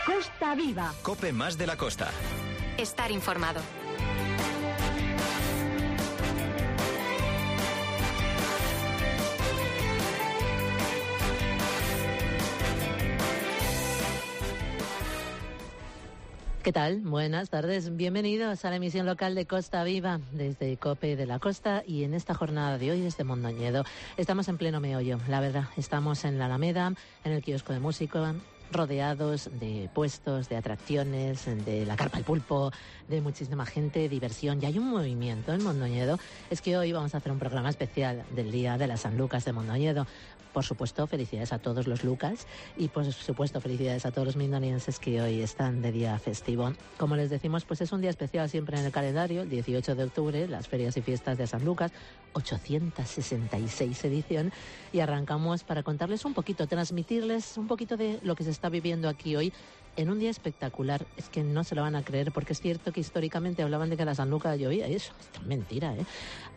Costa Viva. COPE más de la costa. Estar informado. ¿Qué tal? Buenas tardes. Bienvenidos a la emisión local de Costa Viva desde COPE de la Costa, y en esta jornada de hoy desde Mondoñedo. Estamos en pleno meollo, la verdad. Estamos en la Alameda, en el kiosco de música, rodeados de puestos, de atracciones, de la carpa al pulpo, de muchísima gente, diversión. Y hay un movimiento en Mondoñedo. Es que hoy vamos a hacer un programa especial del Día de las San Lucas de Mondoñedo. Por supuesto, felicidades a todos los Lucas y, por supuesto, felicidades a todos los mindonienses que hoy están de día festivo. Como les decimos, pues es un día especial siempre en el calendario, el 18 de octubre, las ferias y fiestas de San Lucas, 866 edición, y arrancamos para contarles un poquito, transmitirles un poquito de lo que se está viviendo aquí hoy en un día espectacular. Es que no se lo van a creer, porque es cierto que históricamente hablaban de que la San Lucas llovía, y eso es mentira, ¿eh?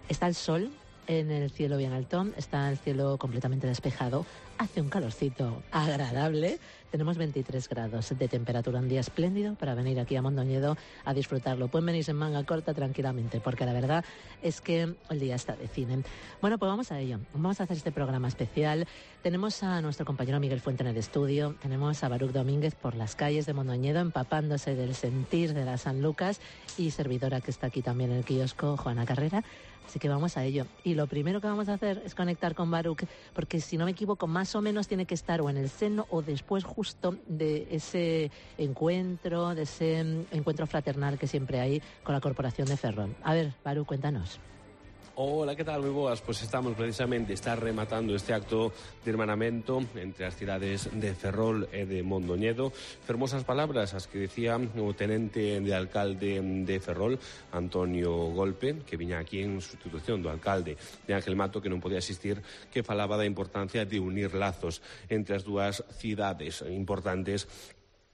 Está el sol en el cielo bien alto, está el cielo completamente despejado, hace un calorcito agradable, tenemos 23 grados de temperatura, un día espléndido para venir aquí a Mondoñedo a disfrutarlo. Pueden venirse en manga corta tranquilamente, porque la verdad es que el día está de cine. Bueno, pues vamos a ello, vamos a hacer este programa especial. Tenemos a nuestro compañero Miguel Fuente en el estudio, tenemos a Baruch Domínguez por las calles de Mondoñedo empapándose del sentir de la San Lucas, y servidora que está aquí también en el kiosco, Juana Carrera. Así que vamos a ello. Y lo primero que vamos a hacer es conectar con Baruch, porque si no me equivoco, más o menos tiene que estar o en el seno o después justo de ese encuentro, fraternal que siempre hay con la Corporación de Ferrol. A ver, Baruch, cuéntanos. Hola, que tal, moi boas? Pois estamos precisamente rematando este acto de hermanamento entre as cidades de Ferrol e de Mondoñedo. Fermosas palabras as que decía o tenente de alcalde de Ferrol, Antonio Golpe, que viña aquí en sustitución do alcalde de Ángel Mato, que non podía asistir, que falaba da importancia de unir lazos entre as dúas cidades importantes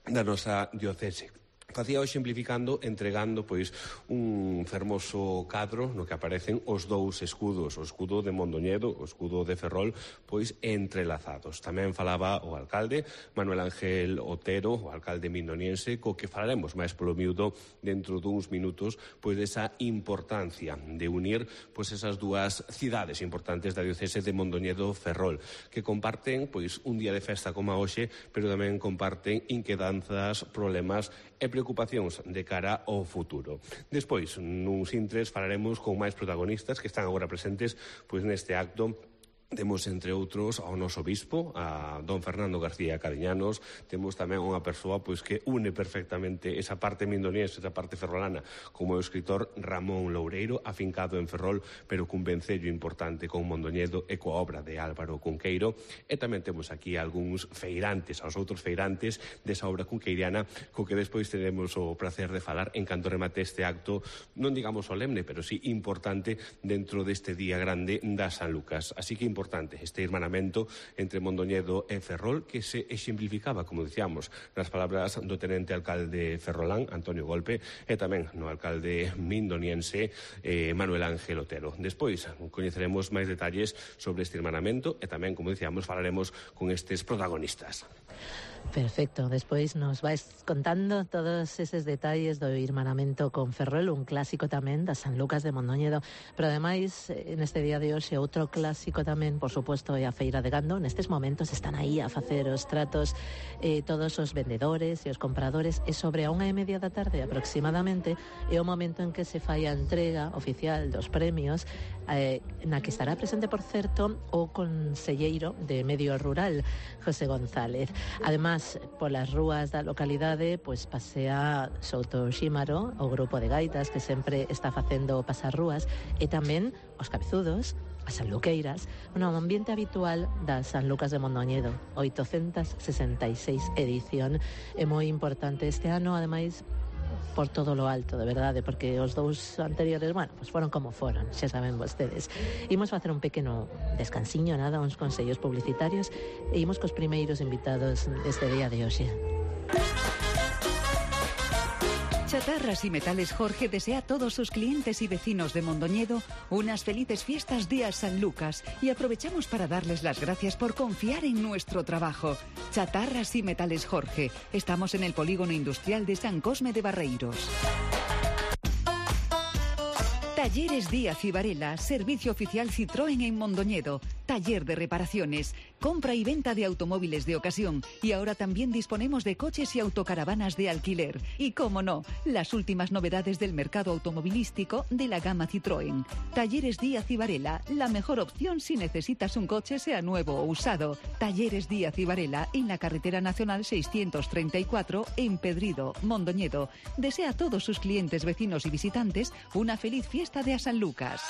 da nosa diocese. Facía hoxe simplificando, entregando pois un fermoso cadro no que aparecen os dous escudos, o escudo de Mondoñedo, o escudo de Ferrol, pois entrelazados. Tamén falaba o alcalde Manuel Ángel Otero, o alcalde mindoniense, co que falaremos máis polo miúdo dentro duns minutos, pois desa importancia de unir pois esas dúas cidades importantes da diocese de Mondoñedo-Ferrol, que comparten pois un día de festa como a hoxe, pero tamén comparten inquedanzas, problemas e preocupacións de cara ao futuro. Despois, nuns intres, falaremos con máis protagonistas que están agora presentes pois neste acto. Temos, entre outros, ao noso bispo, a don Fernando García Cariñanos. Temos tamén unha persoa pois que une perfectamente esa parte mindoniense, esa parte ferrolana, como é o escritor Ramón Loureiro, afincado en Ferrol, pero cun vencello importante con Mondoñedo e coa obra de Álvaro Cunqueiro. E tamén temos aquí algúns feirantes, aos outros feirantes desa obra cunqueiriana, co que despois teremos o placer de falar en canto remate este acto, non digamos solemne, pero sí importante dentro deste día grande da San Lucas. Así que importante este hermanamento entre Mondoñedo e Ferrol, que se exemplificaba, como dicíamos, nas palabras do tenente alcalde ferrolán, Antonio Golpe, e tamén no alcalde mindoniense, Manuel Ángel Otero. Despois coñeceremos máis detalles sobre este hermanamento e tamén, como dicíamos, falaremos con estes protagonistas. Perfecto, despois nos vais contando todos eses detalles do irmanamento con Ferrol, un clásico tamén da San Lucas de Mondoñedo, pero ademais neste día de hoxe outro clásico tamén, por suposto, é a Feira de Gando. Nestes momentos están aí a facer os tratos todos os vendedores e os compradores, e sobre a 1:30 da tarde aproximadamente é o momento en que se fai a entrega oficial dos premios, na que estará presente, por certo, o conselleiro de Medio Rural, José González. Además, polas rúas da localidade, pois pasea Souto Xímaro, o grupo de gaitas que sempre está facendo pasar rúas, e tamén os cabezudos, as sanluqueiras, un ambiente habitual da San Lucas de Mondoñedo, 866 edición. É moi importante este ano, ademais, por todo lo alto, de verdade, porque os dous anteriores, bueno, pues foron como foron, xa saben vostedes. Imos facer un pequeno descansiño, nada, uns consellos publicitarios, e imos cos primeiros invitados deste día de hoxe. Chatarras y Metales Jorge desea a todos sus clientes y vecinos de Mondoñedo unas felices fiestas de San Lucas y aprovechamos para darles las gracias por confiar en nuestro trabajo. Chatarras y Metales Jorge. Estamos en el Polígono Industrial de San Cosme de Barreiros. Talleres Díaz y Varela, servicio oficial Citroën en Mondoñedo, taller de reparaciones, compra y venta de automóviles de ocasión y ahora también disponemos de coches y autocaravanas de alquiler. Y cómo no, las últimas novedades del mercado automovilístico de la gama Citroën. Talleres Díaz y Varela, la mejor opción si necesitas un coche sea nuevo o usado. Talleres Díaz y Varela en la carretera nacional 634 en Pedrido, Mondoñedo. Desea a todos sus clientes, vecinos y visitantes una feliz fiesta de San Lucas.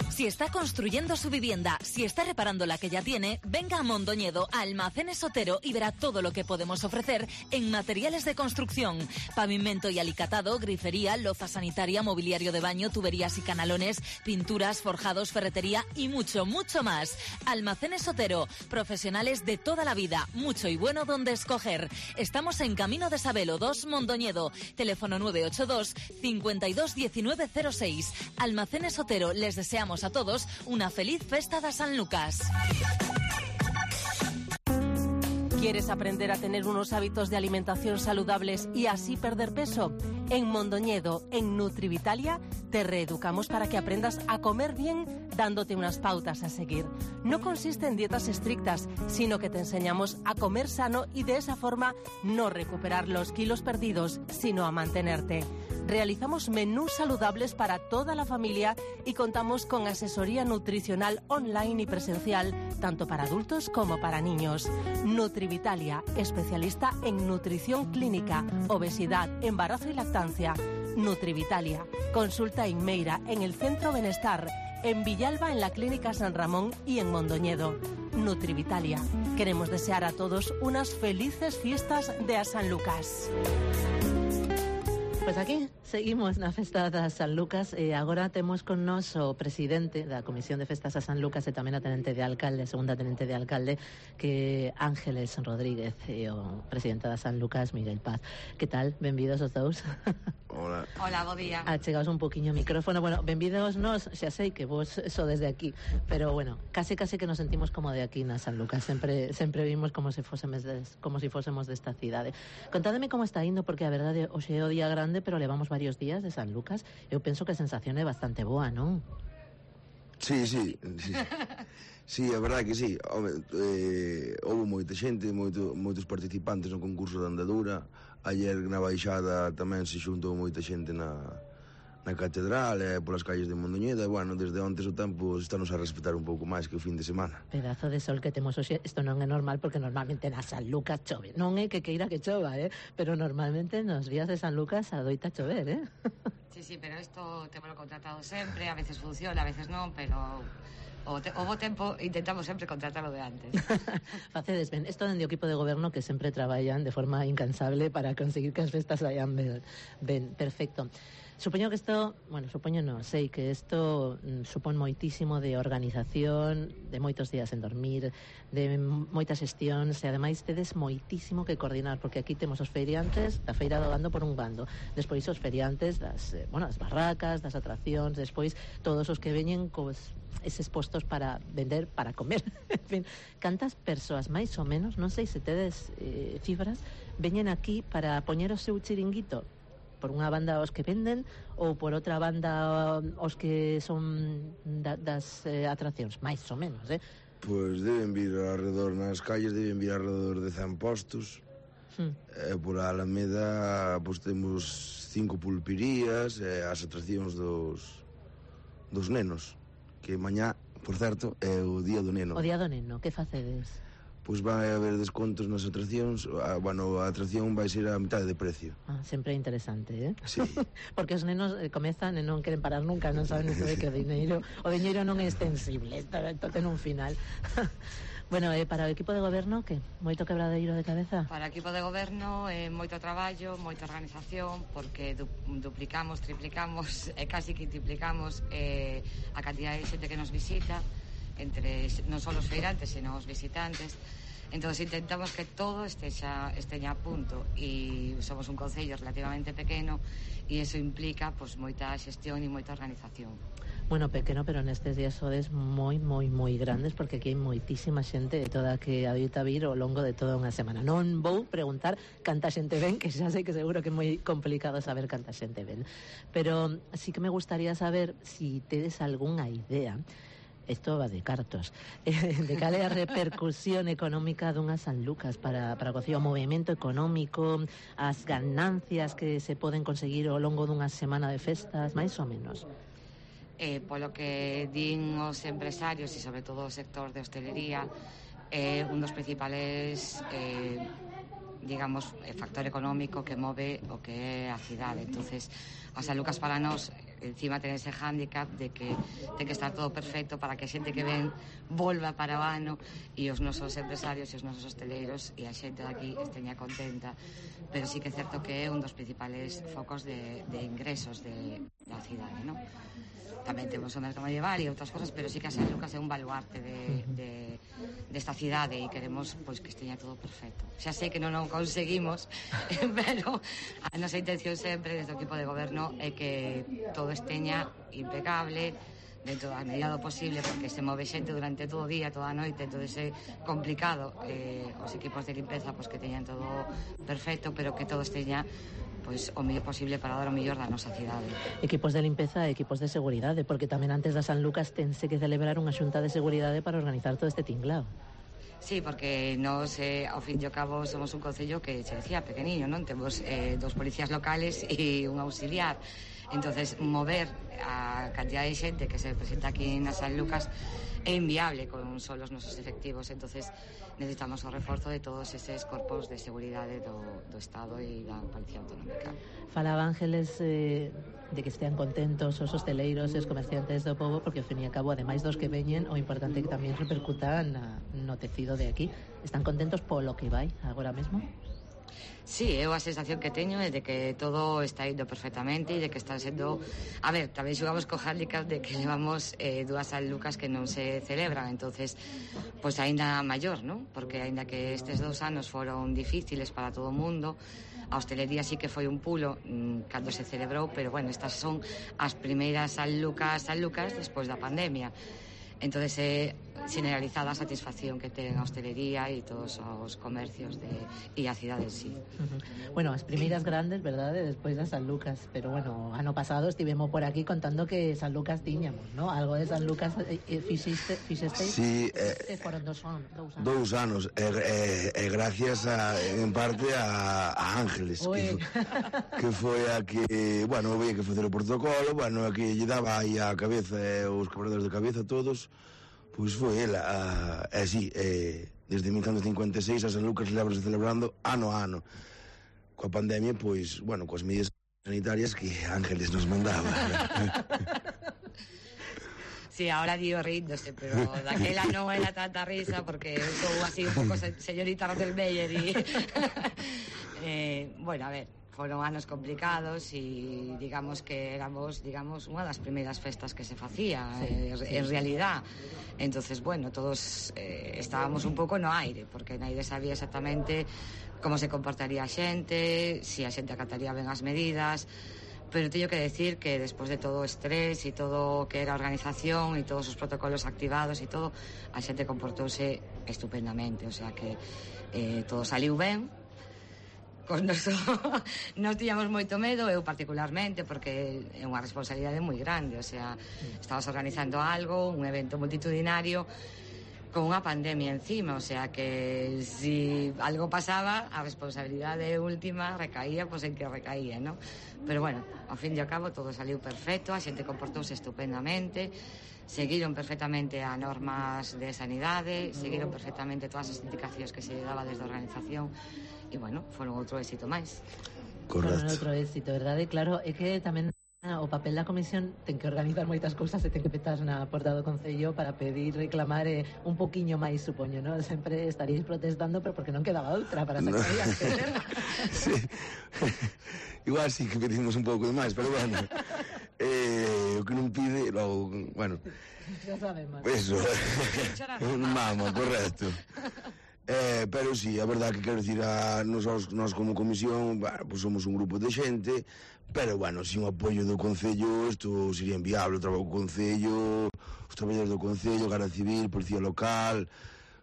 Si está construyendo su vivienda, si está reparando la que ya tiene, venga a Mondoñedo, a Almacenes Otero y verá todo lo que podemos ofrecer en materiales de construcción. Pavimento y alicatado, grifería, loza sanitaria, mobiliario de baño, tuberías y canalones, pinturas, forjados, ferretería y mucho, mucho más. Almacenes Otero, profesionales de toda la vida, mucho y bueno donde escoger. Estamos en Camino de Sabelo 2, Mondoñedo. Teléfono 982 52 19 06. Almacenes Otero, les deseamos a todos una feliz festa de San Lucas. ¿Quieres aprender a tener unos hábitos de alimentación saludables y así perder peso? En Mondoñedo, en Nutrivitalia, te reeducamos para que aprendas a comer bien dándote unas pautas a seguir. No consiste en dietas estrictas, sino que te enseñamos a comer sano y de esa forma no recuperar los kilos perdidos, sino a mantenerte. Realizamos menús saludables para toda la familia y contamos con asesoría nutricional online y presencial, tanto para adultos como para niños. Nutrivitalia, especialista en nutrición clínica, obesidad, embarazo y lactancia. Nutrivitalia, consulta en Meira, en el Centro Benestar, en Villalba, en la Clínica San Ramón y en Mondoñedo. Nutrivitalia, queremos desear a todos unas felices fiestas de a San Lucas. Pois aquí seguimos na festa da San Lucas e agora temos con nos o presidente da Comisión de Festas a San Lucas e tamén a tenente de alcalde, segunda tenente de alcalde, que Ángeles Rodríguez, e o presidente da San Lucas, Miguel Paz. Que tal? Benvidos os dous. Hola. Hola, bo día. Achegaos un poquinho o micrófono. Bueno, benvidos nos, xa sei que vos so desde aquí, pero bueno, case que nos sentimos como de aquí na San Lucas. Sempre vimos como se fósemos desta cidade. Contádeme como está indo, porque a verdade hoxe é o día grande, pero levamos varios días de San Lucas. Eu penso que a sensación é bastante boa, non? Sí. Sí, a verdade que sí. Houve moita xente, moitos participantes no concurso de andadura. Ayer na baixada tamén se xuntou moita xente na catedral e polas calles de Mondoñedo. E, bueno, desde ontes o tempo estános a respetar un pouco máis que o fin de semana. Pedazo de sol que temos hoxe. Isto non é normal, porque normalmente na San Lucas chove. Non é que queira que chova, pero normalmente nos días de San Lucas adoita chover, Sí, pero isto témolo contratado sempre, a veces funciona, a veces non, pero o bo tempo intentamos sempre contratalo de antes. Facedes ben. Isto dende o equipo de goberno que sempre traballan de forma incansable para conseguir que as festas vayan ben. Perfecto. Supoño que isto, sei que isto supón moitísimo de organización, de moitos días en dormir, de moitas xestións, e ademais tedes moitísimo que coordinar, porque aquí temos os feriantes da Feira do Gando por un bando, despois os feriantes das barracas, das atraccións, despois todos os que veñen cos eses postos para vender, para comer. En fin, cantas persoas máis ou menos, non sei se tedes cifras, veñen aquí para poñer o seu chiringuito? Por unha banda os que venden ou por outra banda os que son das atraccións, máis ou menos, Pois deben vir alrededor nas calles, deben vir alrededor de 100 postos. Por a Alameda pois temos 5 pulperías e as atraccións dos nenos, que mañá, por certo, é o día do neno. O día do neno, que facedes? Pois vai haber descontos nas atraccións. A atracción vai ser a mitad de precio. Sempre é interesante, Sí. Porque os nenos comezan e non queren parar nunca, non saben iso de que o diñeiro non é extensible, isto ten un final. Bueno, para o equipo de goberno, que? Moito quebradeiro de cabeza? Para o equipo de goberno moito traballo, moita organización, porque duplicamos, triplicamos e casi quintuplicamos a cantidad de xente que nos visita, entre non só os feirantes, sino os visitantes. Entonces intentamos que todo esteña a punto, e somos un concello relativamente pequeno e iso implica pois moita xestión e moita organización. Bueno, pequeno, pero nestes días sodes moi grandes, porque aquí hai moitísima xente de toda que adoita vir ao longo de toda unha semana. Non vou preguntar canta xente ven, que xa sei que seguro que é moi complicado saber canta xente ven, pero sí que me gustaría saber si tedes algunha idea, isto va de cartos, de cal é a repercusión económica dunha San Lucas para o Concello, o movimento económico, as ganancias que se poden conseguir ao longo dunha semana de festas, máis ou menos. Polo que din os empresarios e sobre todo o sector de hostelería, un dos principales digamos factor económico que move o que é a cidade. Entonces a San Lucas para nós encima ten ese hándicap de que ten que estar todo perfecto para que a xente que ven volva para o ano e os nosos empresarios e os nosos hosteleiros e a xente daqui esteña contenta, pero sí que é certo que é un dos principales focos de ingresos da cidade, non? Tamén temos o mercado medieval e outras cosas, pero sí que a San Lucas é un baluarte desta cidade e queremos pois que esteña todo perfecto. Xa sei que non o conseguimos, pero a nosa intención sempre desde o equipo de goberno é que todo esteña impecable dentro da medida do posible, porque se move xente durante todo o día, toda a noite, entonces é complicado os equipos de limpeza pois que teñan todo perfecto, pero que todo esteña pois o mellor posible para dar o mellor da nosa cidade. Equipos de limpeza e equipos de seguridade, porque tamén antes da San Lucas tense que celebrar unha xunta de seguridade para organizar todo este tinglao. Sí, porque nós, ao fin e ao cabo, somos un concello que, se decía, pequeniño, non? Temos 2 policías locales e un auxiliar. Entonces, mover a cantidad de xente que se presenta aquí na San Lucas é inviable con só os nosos efectivos. Entonces, necesitamos o reforzo de todos eses corpos de seguridade do Estado e da Policía Autonómica. Falaba Ángeles de que estean contentos os hosteleiros e os comerciantes do pobo, porque ao fin e ao cabo, ademais dos que veñen, o importante que tamén repercuta no tecido de aquí. Están contentos polo que vai agora mesmo? Sí, eu a sensación que teño é de que todo está indo perfectamente e de que están sendo... A ver, tamén xogamos co handicap de que levamos 2 San Lucas que non se celebran, entonces pois aínda maior, non? Porque aínda que estes 2 anos foron difíciles para todo o mundo, a hostelería sí que foi un pulo cando se celebrou, pero bueno, estas son as primeiras San Lucas despois da pandemia. Entonces é generalizada a satisfacción que ten a hostelería e todos os comercios e a cidade en sí. Bueno, as primeiras grandes, verdade, despois da San Lucas, pero bueno, ano pasado estivemos por aquí contando que San Lucas tiñamos, ¿no? Algo de San Lucas fixesteis? Sí, foron 2 anos. 2 anos, e gracias en parte a Ángeles, que foi a que, bueno, veía que facer o protocolo, bueno, a que lle daba aí a cabeza os quebradores de cabeza todos. Pois foi ela, así, desde 1956 a San Lucas levábase celebrando ano a ano. Coa pandemia, pois, bueno, coas medidas sanitarias que Ángeles nos mandaba. Sí, ahora digo ríndose, pero daquela non era tanta risa, porque sou así un pouco señorita Rottenmeier e... bueno, a ver, foron anos complicados e digamos que éramos, unha das primeiras festas que se facía, en realidad. Entonces, bueno, todos estábamos un pouco no aire, porque naide sabía exactamente como se comportaría a xente, si a xente acataría ben as medidas, pero teño que decir que despois de todo o estrés e todo o que era a organización e todos os protocolos activados e todo, a xente comportouse estupendamente, o sea que todo saliu ben. Nos tiñamos moito medo, eu particularmente, porque é unha responsabilidade moi grande, o sea, estabas organizando algo, un evento multitudinario con unha pandemia encima, o sea que si algo pasaba, a responsabilidade última recaía pois en que recaía, ¿no? Pero bueno, ao fin e ao cabo todo saliu perfecto, a xente comportouse estupendamente, seguiron perfectamente a normas de sanidade, seguiron perfectamente todas as indicacións que se daba desde a organización e, bueno, foron outro éxito máis. Correcto. Foron outro éxito, verdade? Claro, é que tamén o papel da comisión ten que organizar moitas cousas e ten que petar na porta do Concello para pedir, reclamar un poquinho máis, supoño, non? Sempre estaríais protestando, pero porque non quedaba outra para sacar adiante. Sí. Igual sí que pedimos un pouco de máis, pero bueno, o que non pide, logo, bueno, xa sabemos. Eso, un mamo, correcto. Pero sí, a verdade que quero dicir, nós como comisión, bueno, pues somos un grupo de xente, pero, bueno, sin o apoio do Concello, isto sería inviable, o traballo do Concello, os traballadores do Concello, Garda Civil, Policía Local,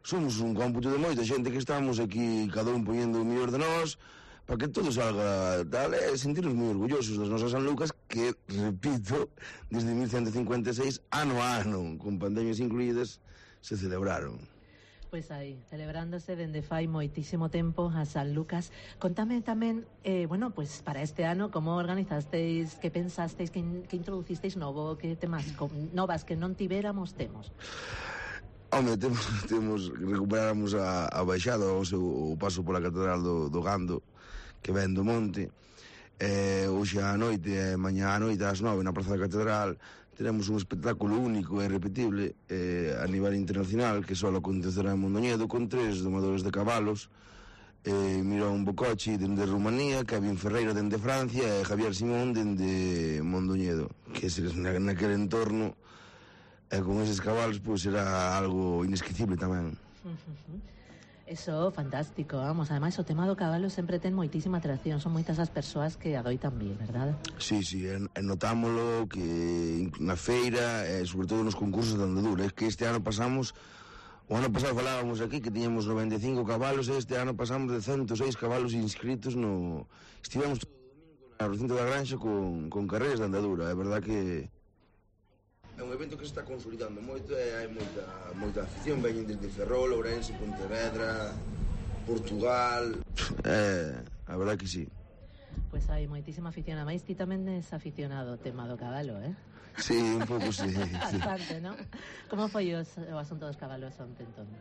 somos un cómputo de moita xente que estamos aquí, cada un poñendo o mellor de nós, para que todo salga tal, e sentirnos moi orgullosos das nosas Sanlucas, que, repito, desde 1156, ano a ano, con pandemias incluídas, se celebraron. Pois aí, celebrándose dende fai moitísimo tempo a San Lucas. Contame tamén, bueno, pues para este ano, como organizasteis, que pensasteis, que introducisteis novo, que temas novas que non tiveramos temos? Home, recuperáramos a baixada, o paso pola Catedral do Gando, que ven do monte. Hoxe a noite, mañá a noite, ás 9, na Praza da Catedral, teremos un espectáculo único e irrepetible a nivel internacional que só acontecerá en Mondoñedo con 3 domadores de cabalos, Mirón Bococci dende Rumanía, Kevin Ferreira dende Francia e Javier Simón dende Mondoñedo, que naquele entorno con eses cabalos pois será algo inesquecible tamén. Eso, fantástico, vamos, ademais o tema do cabalo sempre ten moitísima atracción, son moitas as persoas que adoitan bien, verdade? Sí, notámolo que na feira, sobre todo nos concursos de andadura, é que este ano pasamos, o ano pasado falábamos aquí que tiñamos 95 cabalos, e este ano pasamos de 106 cabalos inscritos estivemos todo o domingo na recinto da Granxa con carreiras de andadura, é verdade que é un evento que se está consolidando moito e hai moita afición, veñen desde Ferrol, Ourense, Pontevedra, Portugal, a verdade que sí. Pois hai moitísima afición, a máis ti tamén es aficionado ao tema do cabalo, Sí, un pouco sí. Bastante, non? Como foi o asunto dos cabalos onte, entón?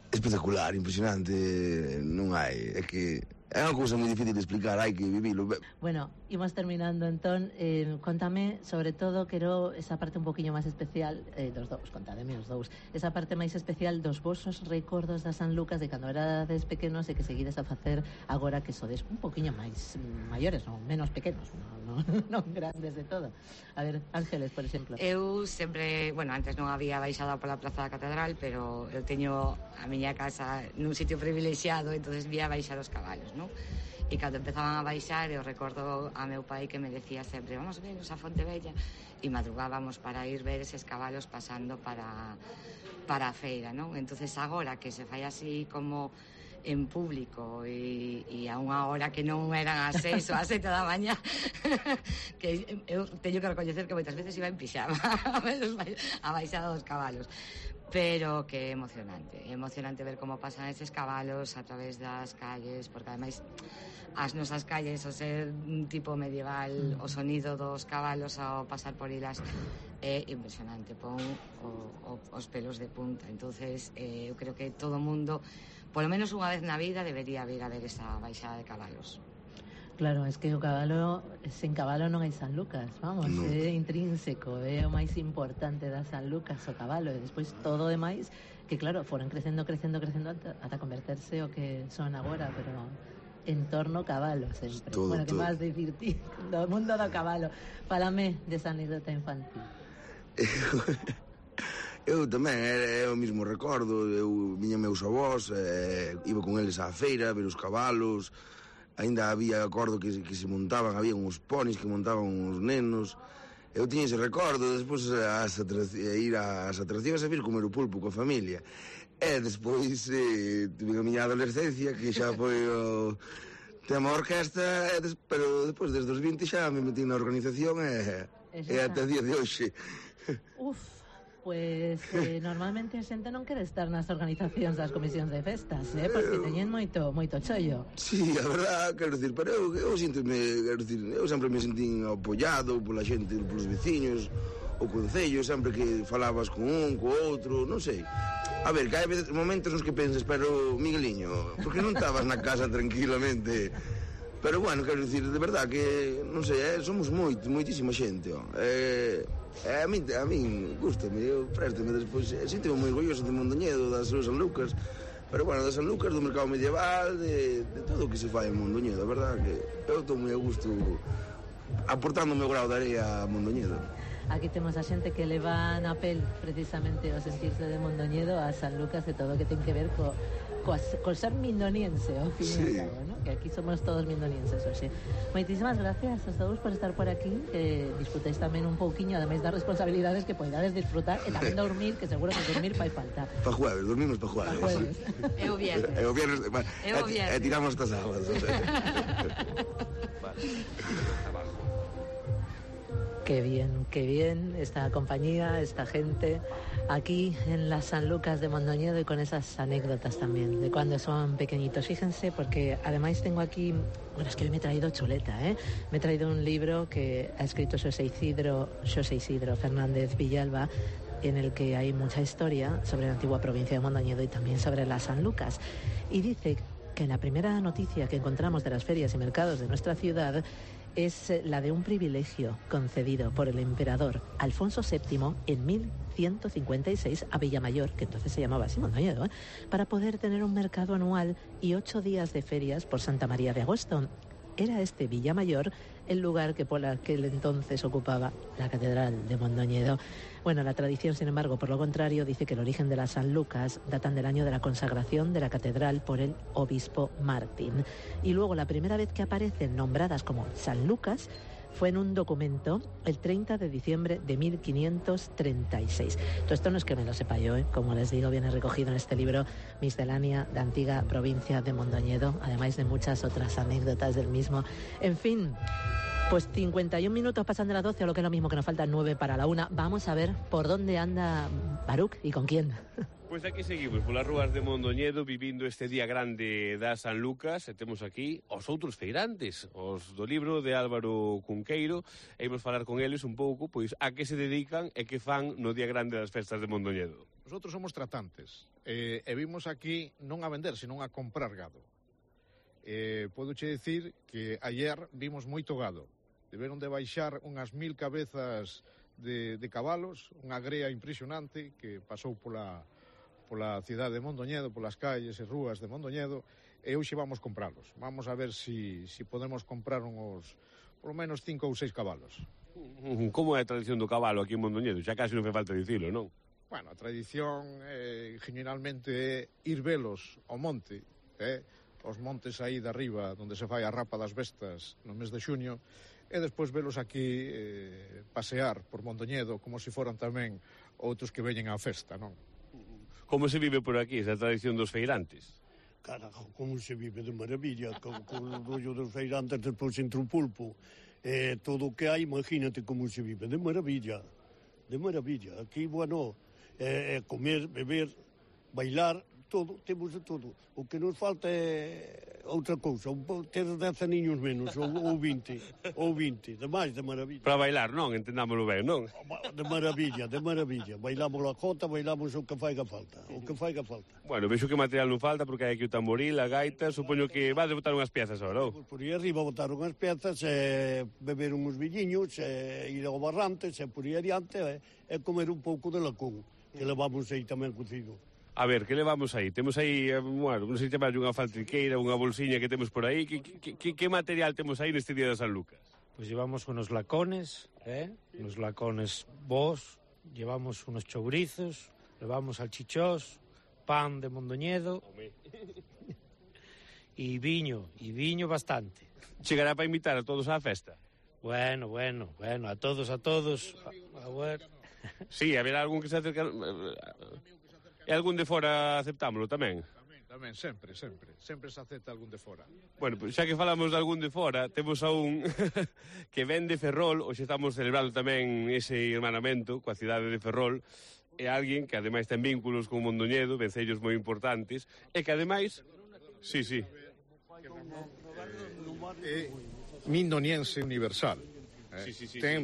Espectacular, impresionante, non hai, é que é unha cousa moi difícil de explicar, hai que vivilo. Bueno, imos terminando entón, contame, sobre todo, quero esa parte un poquinho máis especial dos dous, contademe os dous, esa parte máis especial dos vosos recordos da San Lucas de cando erades pequenos e que seguides a facer agora que sodes un poquinho máis maiores, non menos pequenos, non grandes de todo. A ver, Ángeles, por exemplo. Eu sempre, bueno, antes non había baixado pola Praza da Catedral, pero eu teño a miña casa nun sitio privilexiado, entonces vía baixar os cabalos, non? E cando empezaban a baixar, eu recordo a meu pai que me decía sempre, vamos ver a Fonte Bella, e madrugábamos para ir ver eses cabalos pasando para a feira, non? Entonces agora que se fai así como en público e a unha hora que non eran as 6 ou as 7 da mañá, que eu teño que recoñecer que moitas veces iba en pixama a baixada dos cabalos, pero que é emocionante ver como pasan eses cabalos a través das calles, porque ademais as nosas calles, ao ser un tipo medieval, o sonido dos cabalos ao pasar por elas é impresionante, pon os pelos de punta. Entonces eu creo que todo o mundo, polo menos unha vez na vida, debería vir a ver esa baixada de cabalos. Claro, es que o cabalo, sen cabalo non hai San Lucas, vamos, é intrínseco, é o máis importante da San Lucas, o cabalo, e despois todo o demais, que claro, foron crecendo ata converterse o que son agora, pero en torno ao cabalo sempre. Bueno, que máis dicir ti, do mundo do cabalo. Fálame desa anécdota infantil. Eu tamén, é o mismo recordo, eu viña meus avós, iba con eles á feira, ver os cabalos. Ainda había, acordo que se montaban, había uns ponis que montaban uns nenos. Eu tiña ese recordo, despois ir ás atraccións e vir comer o pulpo coa familia. E despois tive a miña adolescencia, que xa foi o tema orquesta, pero despois desde os 20 xa me metí na organización e até o día de hoxe. Pues normalmente a xente non quere estar nas organizacións das comisións de festas, porque teñen moito chollo. Sí, a verdad, quero dicir, pero eu síntome, quero dicir, eu sempre me sentín apoiado pola xente, polos veciños, o concello, sempre que falabas con un, co outro, non sei. A ver, que hai momentos nos que pensas, pero Migueliño, por que non estabas na casa tranquilamente? Pero bueno, quero dicir, de verdad que, non sei, somos moitísima xente, a min gustame, eu préstame despois, sinto-me moi orgulloso de Mondoñedo, das súas San Lucas, pero bueno, das San Lucas, do mercado medieval, de todo o que se fai en Mondoñedo, a verdad que eu estou moi a gusto aportando o meu grau de areia a Mondoñedo. Aquí temos a xente que leva na pel precisamente o sentirse de Mondoñedo a San Lucas e todo o que ten que ver con ser mindoniense, ao fin e ao cabo, ¿no? Que aquí somos todos mindonienses, oxe. Moitísimas gracias a todos por estar por aquí, que disfrutéis tamén un pouquiño, ademais das responsabilidades que poidades disfrutar, e tamén dormir, que seguro que dormir fai falta. Pa jueves, dormimos pa jueves. É o viernes. É o viernes, e tiramos hasta sábado. Qué bien esta compañía, esta gente aquí en las Sanlúcar de Mondoñedo y con esas anécdotas también de cuando son pequeñitos. Fíjense, porque además tengo aquí, bueno, es que hoy me he traído chuleta, me he traído un libro que ha escrito Xosé Isidro Fernández Villalba, en el que hay mucha historia sobre la antigua provincia de Mondoñedo y también sobre las Sanlúcar. Y dice que la primera noticia que encontramos de las ferias y mercados de nuestra ciudad es la de un privilegio concedido por el emperador Alfonso VII en 1156 a Villamayor, que entonces se llamaba así Mondoñedo, para poder tener un mercado anual y 8 días de ferias por Santa María de Agosto. Era este Villamayor el lugar que por aquel entonces ocupaba la Catedral de Mondoñedo. Bueno, la tradición, sin embargo, por lo contrario, dice que el origen de las Sanlúcar datan del año de la consagración de la catedral por el obispo Martín. Y luego la primera vez que aparecen nombradas como Sanlúcar fue en un documento el 30 de diciembre de 1536. Todo esto no es que me lo sepa yo, como les digo, viene recogido en este libro Miscelánea de Antiga Provincia de Mondoñedo, además de muchas otras anécdotas del mismo. En fin, pues 51 minutos pasan de las 12, o lo que es lo mismo, que nos faltan 9 para la 1. Vamos a ver por dónde anda Baruch y con quién. Pois aquí seguimos polas rúas de Mondoñedo vivindo este día grande das Sanlúcar, e temos aquí os outros feirantes, os do libro de Álvaro Cunqueiro, e imos falar con eles un pouco pois a que se dedican e que fan no día grande das festas de Mondoñedo. Nosotros somos tratantes e vimos aquí non a vender, senón a comprar gado. Podoche dicir que ayer vimos moito gado. Deberon de baixar unhas 1000 cabezas de cabalos, unha grea impresionante que pasou pola cidade de Mondoñedo, polas calles e rúas de Mondoñedo, e hoxe vamos compralos. Vamos a ver si podemos comprar polo menos 5 ou 6 cabalos. Como é a tradición do cabalo aquí en Mondoñedo? Xa casi non fai falta dicilo, non? Bueno, a tradición generalmente é ir velos ao monte, os montes aí de arriba, onde se fai a rapa das bestas no mes de xuño, e despois velos aquí pasear por Mondoñedo como se foran tamén outros que veñen á festa, non? Como se vive por aquí esa tradición dos feirantes? Carajo, como se vive de maravilla, con o rollo dos feirantes despois entre o pulpo. Todo o que hai, imagínate como se vive, de maravilla. De maravilla. Aquí, bueno, comer, beber, bailar, todo, temos de todo. O que nos falta é outra cousa, ter 10 aniños menos, ou 20, demais, de maravilla. Para bailar, non? Entendámoslo ben, non? De maravilla. Bailamos a jota, bailamos o que faiga falta, Bueno, vexo que material non falta, porque hai aquí o tamboril, a gaita, supoño que vas a botar unhas piezas agora, ou? Por aí arriba botar unhas piezas, beber uns villiños, ir ao barrantes, por aí adiante, e comer un pouco de lacón, que levamos aí tamén cocido. A ver, que levamos aí? Temos aí, bueno, non sei se chamar unha faltriqueira, unha bolsiña que temos por aí. Que material temos aí neste día de Sanlúcar? Pues llevamos unos lacones, unos lacones bos, llevamos unos chourizos, llevamos salchichós, pan de Mondoñedo e viño bastante. Chegará para invitar a todos á festa? Bueno, a todos. A ver. Sí, haberá algún que se acerca... E algún de fora aceptámoslo tamén? Tamén, sempre se acepta algún de fora. Bueno, pues xa que falamos de algún de fora, temos a un que ven de Ferrol, hoxe estamos celebrando tamén ese hermanamento coa cidade de Ferrol, e alguén que ademais ten vínculos con Mondoñedo, vencellos moi importantes, e que ademais... Sí. Mindoniense universal.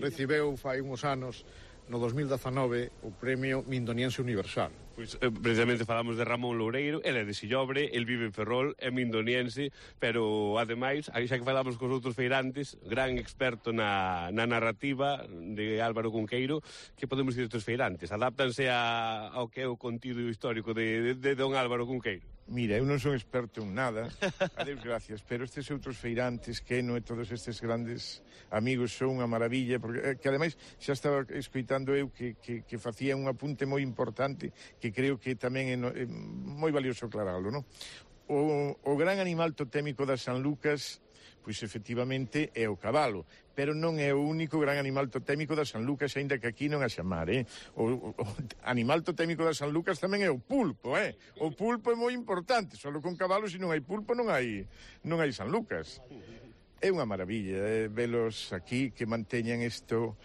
Recibeu fai uns anos, no 2019, o premio Mindoniense Universal. Pois precisamente falamos de Ramón Loureiro, ele é de Sillobre, el vive en Ferrol, é mindoniense, pero ademais, xa que falamos cos outros feirantes, gran experto na narrativa de Álvaro Cunqueiro, que podemos dicir estes feirantes? Adáptanse ao que é o contido histórico de don Álvaro Cunqueiro? Mira, eu non son experto en nada, adeus gracias, pero estes outros feirantes, Queno e todos estes grandes amigos son unha maravilla, porque que ademais xa estaba escoitando eu que facía un apunte moi importante que creo que tamén é moi valioso aclararlo, non? O gran animal totémico da San Lucas, pois efectivamente é o cabalo, pero non é o único gran animal totémico da San Lucas, aínda que aquí non a chamar, O animal totémico da San Lucas tamén é o pulpo, O pulpo é moi importante, só con cabalo, se non hai pulpo non hai San Lucas. É unha maravilla velos aquí que manteñan isto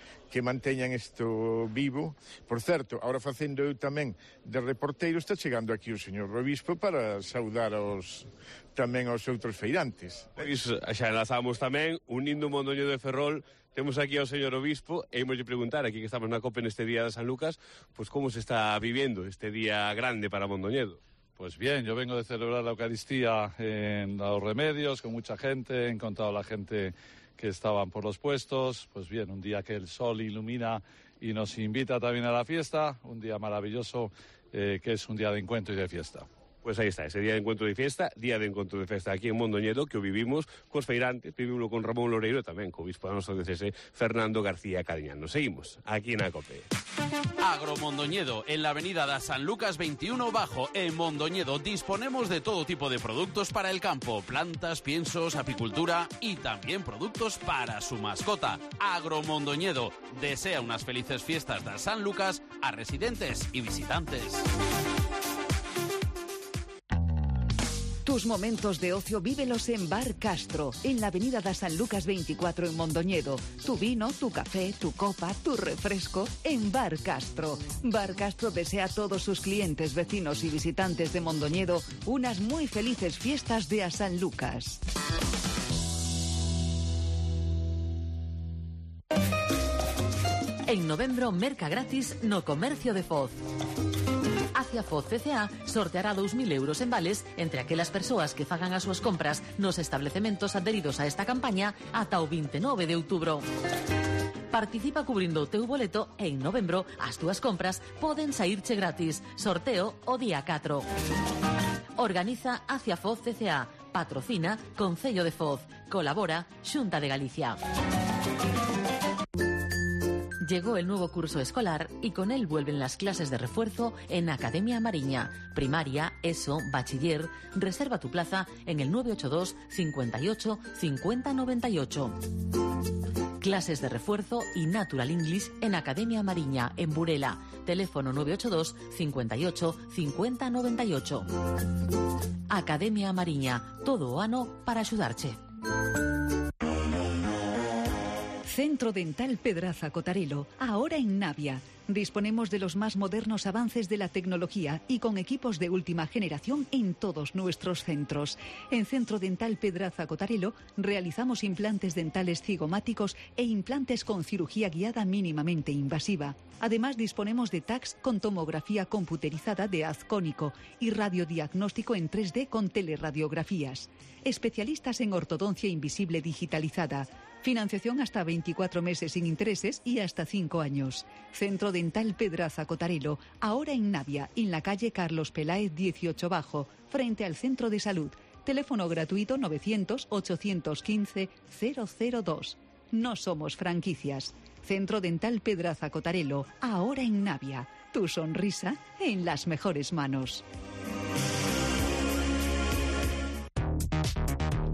vivo. Por certo, ahora facendo eu tamén de reporteiro, está chegando aquí o señor Obispo para saudar tamén aos outros feirantes. Pois xa enlazamos tamén, unindo Mondoñedo de Ferrol, temos aquí ao señor Obispo e imos preguntar, aquí que estamos na COPE neste día de San Lucas, pois como se está vivendo este día grande para Mondoñedo. Pues bien, yo vengo de celebrar la Eucaristía en Los Remedios con mucha gente, he encontrado a la gente que estaban por los puestos, pues bien, un día que el sol ilumina y nos invita también a la fiesta, un día maravilloso que es un día de encuentro y de fiesta. Pues aí está, ese día de encuentro de fiesta, día de encontro de festa aquí en Mondoñedo, que o vivimos cos feirantes, vivimos con Ramón Loreiro e tamén co obispo da nosa diocese, Fernando García Cariñano. Seguimos aquí na COPE. Agromondoñedo, en la avenida da San Lucas 21 Bajo, en Mondoñedo, disponemos de todo tipo de productos para el campo, plantas, piensos, apicultura y también productos para su mascota. Agromondoñedo desea unas felices fiestas de San Lucas a residentes y visitantes. Tus momentos de ocio vívelos en Bar Castro, en la avenida da San Lucas 24 en Mondoñedo. Tu vino, tu café, tu copa, tu refresco en Bar Castro. Bar Castro desea a todos sus clientes, vecinos y visitantes de Mondoñedo unas muy felices fiestas de a San Lucas. En novembro, merca gratis no comercio de Foz. Acia Foz CCA sorteará 2.000 euros en vales entre aquelas persoas que fagan as súas compras nos establecementos adheridos a esta campaña ata o 29 de outubro. Participa cubrindo o teu boleto e en novembro as túas compras poden saírche gratis. Sorteo o día 4. Organiza Acia Foz CCA. Patrocina Concello de Foz. Colabora Xunta de Galicia. Llegó el nuevo curso escolar y con él vuelven las clases de refuerzo en Academia Mariña. Primaria, ESO, bachiller. Reserva tu plaza en el 982 58 50 98. Clases de refuerzo y Natural English en Academia Mariña, en Burela. Teléfono 982 58 50 98. Academia Mariña, todo o ano para axudarche. Centro Dental Pedraza Cotarelo, ahora en Navia. Disponemos de los más modernos avances de la tecnología y con equipos de última generación en todos nuestros centros. En Centro Dental Pedraza Cotarelo realizamos implantes dentales cigomáticos e implantes con cirugía guiada mínimamente invasiva. Además disponemos de tacs con tomografía computerizada de haz cónico y radiodiagnóstico en 3D con teleradiografías. Especialistas en ortodoncia invisible digitalizada. Financiación hasta 24 meses sin intereses y hasta 5 años. Centro Dental Pedraza Cotarelo, ahora en Navia, en la calle Carlos Peláez 18 Bajo, frente al Centro de Salud. Teléfono gratuito 900-815-002. No somos franquicias. Centro Dental Pedraza Cotarelo, ahora en Navia. Tu sonrisa en las mejores manos.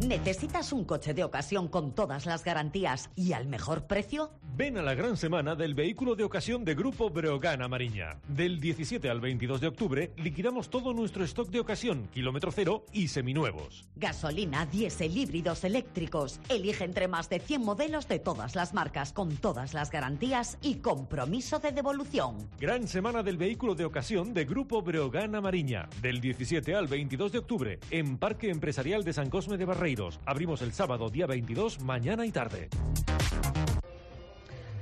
¿Necesitas un coche de ocasión con todas las garantías y al mejor precio? Ven a la gran semana del vehículo de ocasión de Grupo Breogán Mariña. Del 17 al 22 de octubre liquidamos todo nuestro stock de ocasión, kilómetro cero y seminuevos. Gasolina, diésel, híbridos, eléctricos. Elige entre más de 100 modelos de todas las marcas, con todas las garantías y compromiso de devolución. Gran semana del vehículo de ocasión de Grupo Breogán Mariña. Del 17 al 22 de octubre en Parque Empresarial de San Cosme de Barreiros. Abrimos el sábado día 22, mañana y tarde.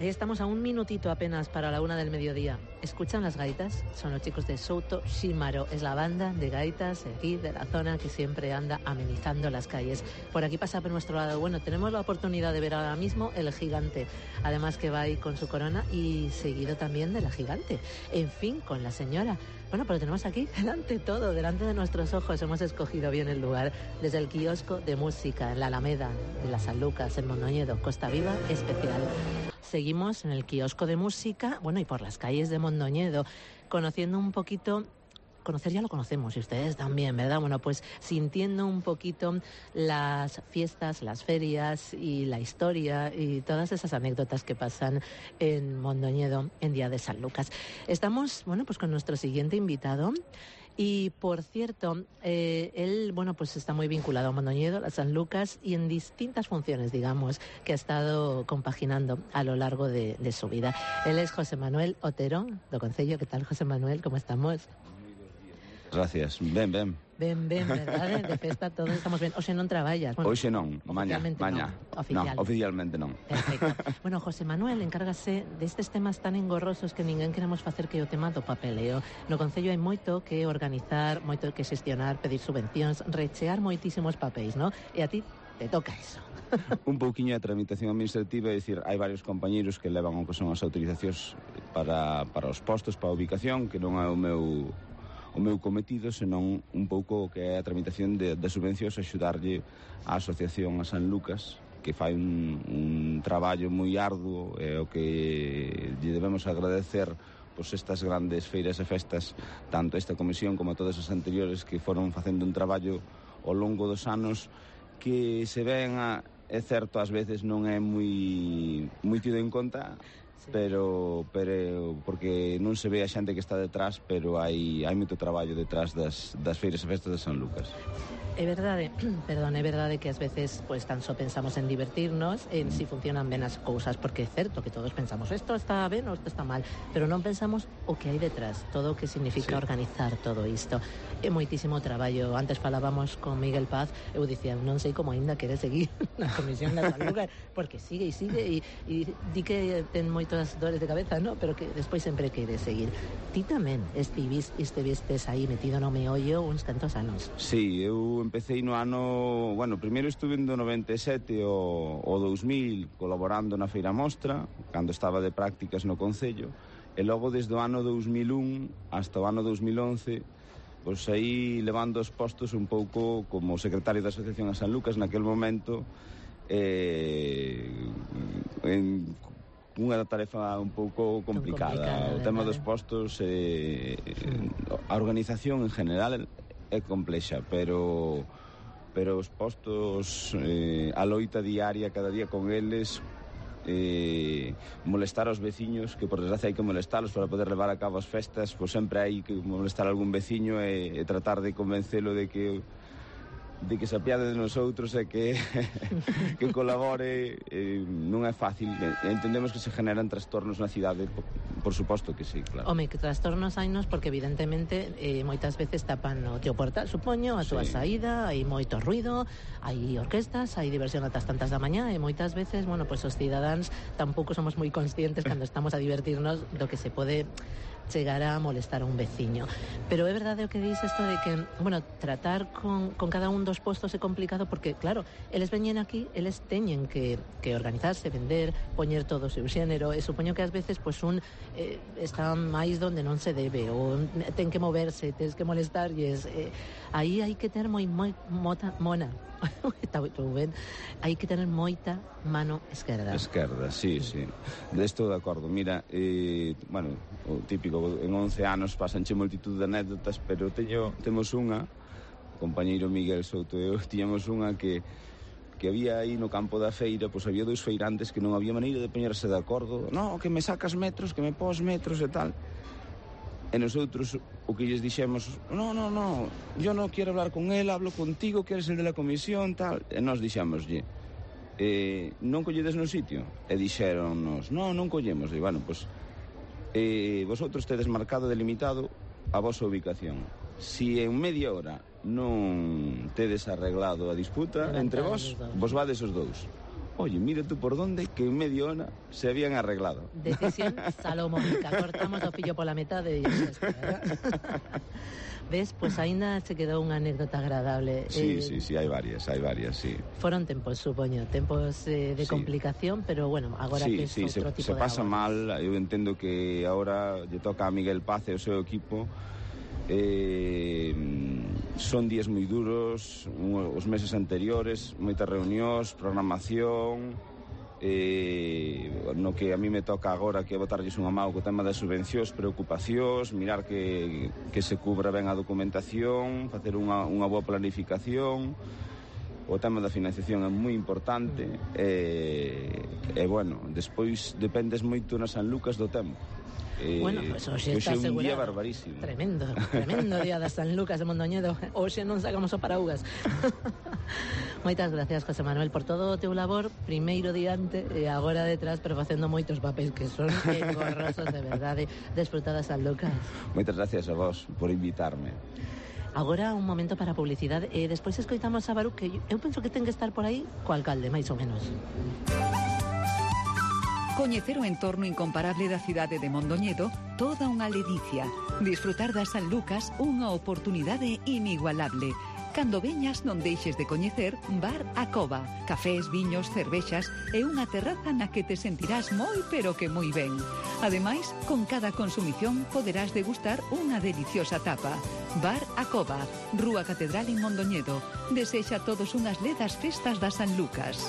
Ahí estamos a un minutito apenas para la 1 del mediodía. ¿Escuchan las gaitas? Son los chicos de Souto Shimaro. Es la banda de gaitas de aquí, de la zona, que siempre anda amenizando las calles. Por aquí pasa por nuestro lado. Bueno, tenemos la oportunidad de ver ahora mismo el gigante. Además que va ahí con su corona y seguido también de la gigante. En fin, con la señora. Bueno, pero tenemos aquí delante todo, delante de nuestros ojos. Hemos escogido bien el lugar. Desde el kiosco de música en la Alameda, en las Sanlúcar, en Mondoñedo, Costa Viva especial. Seguimos en el kiosco de música, bueno, y por las calles de Mondoñedo, conociendo un poquito... Conocer ya lo conocemos, y ustedes también, ¿verdad? Bueno, pues sintiendo un poquito las fiestas, las ferias y la historia y todas esas anécdotas que pasan en Mondoñedo en Día de San Lucas. Estamos, bueno, pues con nuestro siguiente invitado. Y, por cierto, él, bueno, pues está muy vinculado a Mondoñedo, a San Lucas, y en distintas funciones, digamos, que ha estado compaginando a lo largo de su vida. Él es José Manuel Otero, do Concello. ¿Qué tal, José Manuel? ¿Cómo estamos? Gracias. Ben, verdade? De festa todos estamos ben. Oxe non traballas? Bueno, hoxe non, mañá. Oficialmente non. Perfecto. Bueno, José Manuel encárgase destes temas tan engorrosos que ninguén queremos facer que o tema do papeleo. No Concello hai moito que organizar, moito que xestionar, pedir subvencións, rechear moitísimos papéis, non? E a ti te toca eso. Un pouquiño de tramitación administrativa, é dicir, hai varios compañeiros que levan o que son as autorizacións para os postos, para a ubicación, que non é o meu cometido, senón un pouco o que é a tramitación de subvencións, axudarlle á Asociación a San Lucas, que fai un traballo moi arduo, e o que lle debemos agradecer pois estas grandes feiras e festas, tanto esta comisión como a todas as anteriores, que foron facendo un traballo ao longo dos anos que se ven, é certo, ás veces non é moi tido en conta, pero porque non se ve a xente que está detrás, pero hai moito traballo detrás das feiras e festas de San Lucas. É verdade, perdón, é verdade que ás veces pues tan só pensamos en divertirnos, en si funcionan ben as cousas, porque é certo que todos pensamos isto está ben ou isto está mal, pero non pensamos o que hai detrás, todo o que significa organizar todo isto. É moitísimo traballo. Antes falábamos con Miguel Paz, eu dicía, non sei como aínda quere seguir na comisión da San Lucas, porque sigue e di que ten moitas dores de cabeza, ¿no? Pero que despois sempre quere seguir. Ti tamén estivestes aí metido no meollo uns cantos anos. Sí, eu empecé no ano... Bueno, primeiro estuve no 97 o 2000 colaborando na Feira Mostra, cando estaba de prácticas no Concello, e logo desde o ano 2001 hasta o ano 2011 pois aí levando os postos un pouco como secretario da Asociación a San Lucas naquel momento, en unha tarefa un pouco complicada. O tema dos postos, a organización en general é complexa, pero os postos, a loita diaria cada día con eles, molestar aos veciños, que por desgracia hai que molestalos para poder levar a cabo as festas, pois sempre hai que molestar a algún veciño e tratar de convencelo de que se apiade de nosotros e que colabore. Non é fácil. Entendemos que se generan trastornos na cidade, por suposto que sí, claro. Home, que trastornos hainos porque evidentemente moitas veces tapan o teu portal, supoño, a túa saída, hai moito ruido, hai orquestas, hai diversión atas tantas da mañá, e moitas veces, bueno, pues os cidadáns tampouco somos moi conscientes cando estamos a divertirnos do que se pode chegar a molestar a un veciño. Pero é verdade o que dis isto de que, bueno, tratar con cada un dos postos é complicado porque, claro, eles veñen aquí, eles teñen que organizarse, vender, poñer todo o seu xénero, e supoño que ás veces pues un está máis donde non se debe, ou ten que moverse, tens que molestarlles, aí hai que ter moi mona hai que tener moita mano esquerda. Esquerda, sí. Estou de acordo. Mira, bueno, o típico, en 11 anos pasanche multitud de anécdotas, pero temos unha, o compañeiro Miguel Souto e eu, tiñamos unha que había aí no campo da feira, pois había dous feirantes que non había maneira de poñerse de acordo. No, que me sacas metros, que me pos metros e tal. E nosotros o que lles dixemos, no, yo non quero hablar con él, hablo contigo, que eres el de la comisión, tal. E nós dixémoslle, non colledes no sitio? E dixéronnos, non collemos. E bueno, pois, vosotros tedes marcado, delimitado a vosa ubicación. Si en media hora non tedes arreglado a disputa entre vos vades os dous. oye, mira tú por dónde, que en media hora se habían arreglado. Decisión salomónica, cortamos o fillo pola metade e xa está, Ves, pois aínda se quedou unha anécdota agradable. Sí, hai varias, sí. Foron tempos, supoño, tempos de complicación, pero bueno, agora que é outro tipo de se pasa mal, eu entendo que agora lle toca a Miguel Paz e o seu equipo. Son días moi duros, os meses anteriores, moitas reunións, programación, no que a mí me toca agora que botarlles unha mão co tema das subvencións, preocupacións, mirar que se cubra ben a documentación, facer unha boa planificación. O tema da financiación é moi importante e bueno, despois dependes moito na San Lucas do tempo. Bueno, pois hoxe está asegurado. Un día barbarísimo. Tremendo día da San Lucas de Mondoñedo. Hoxe non sacamos o paraugas. Moitas gracias, José Manuel, por todo o teu labor, primeiro diante e agora detrás, pero facendo moitos papéis que son engorrosos, de verdade. Desfrutada San Lucas. Moitas gracias a vos por invitarme. Agora un momento para a publicidade e despois escoitamos a Baruch, que eu penso que ten que estar por aí co alcalde, máis ou menos. Coñecer o entorno incomparable da cidade de Mondoñedo, toda unha ledicia. Disfrutar das San Lucas, unha oportunidade inigualable. Cando veñas non deixes de coñecer Bar A Cova, cafés, viños, cervexas e unha terraza na que te sentirás moi pero que moi ben. Ademais, con cada consumición poderás degustar unha deliciosa tapa. Bar A Cova, Rúa Catedral en Mondoñedo. Desexa a todos unhas ledas festas da San Lucas.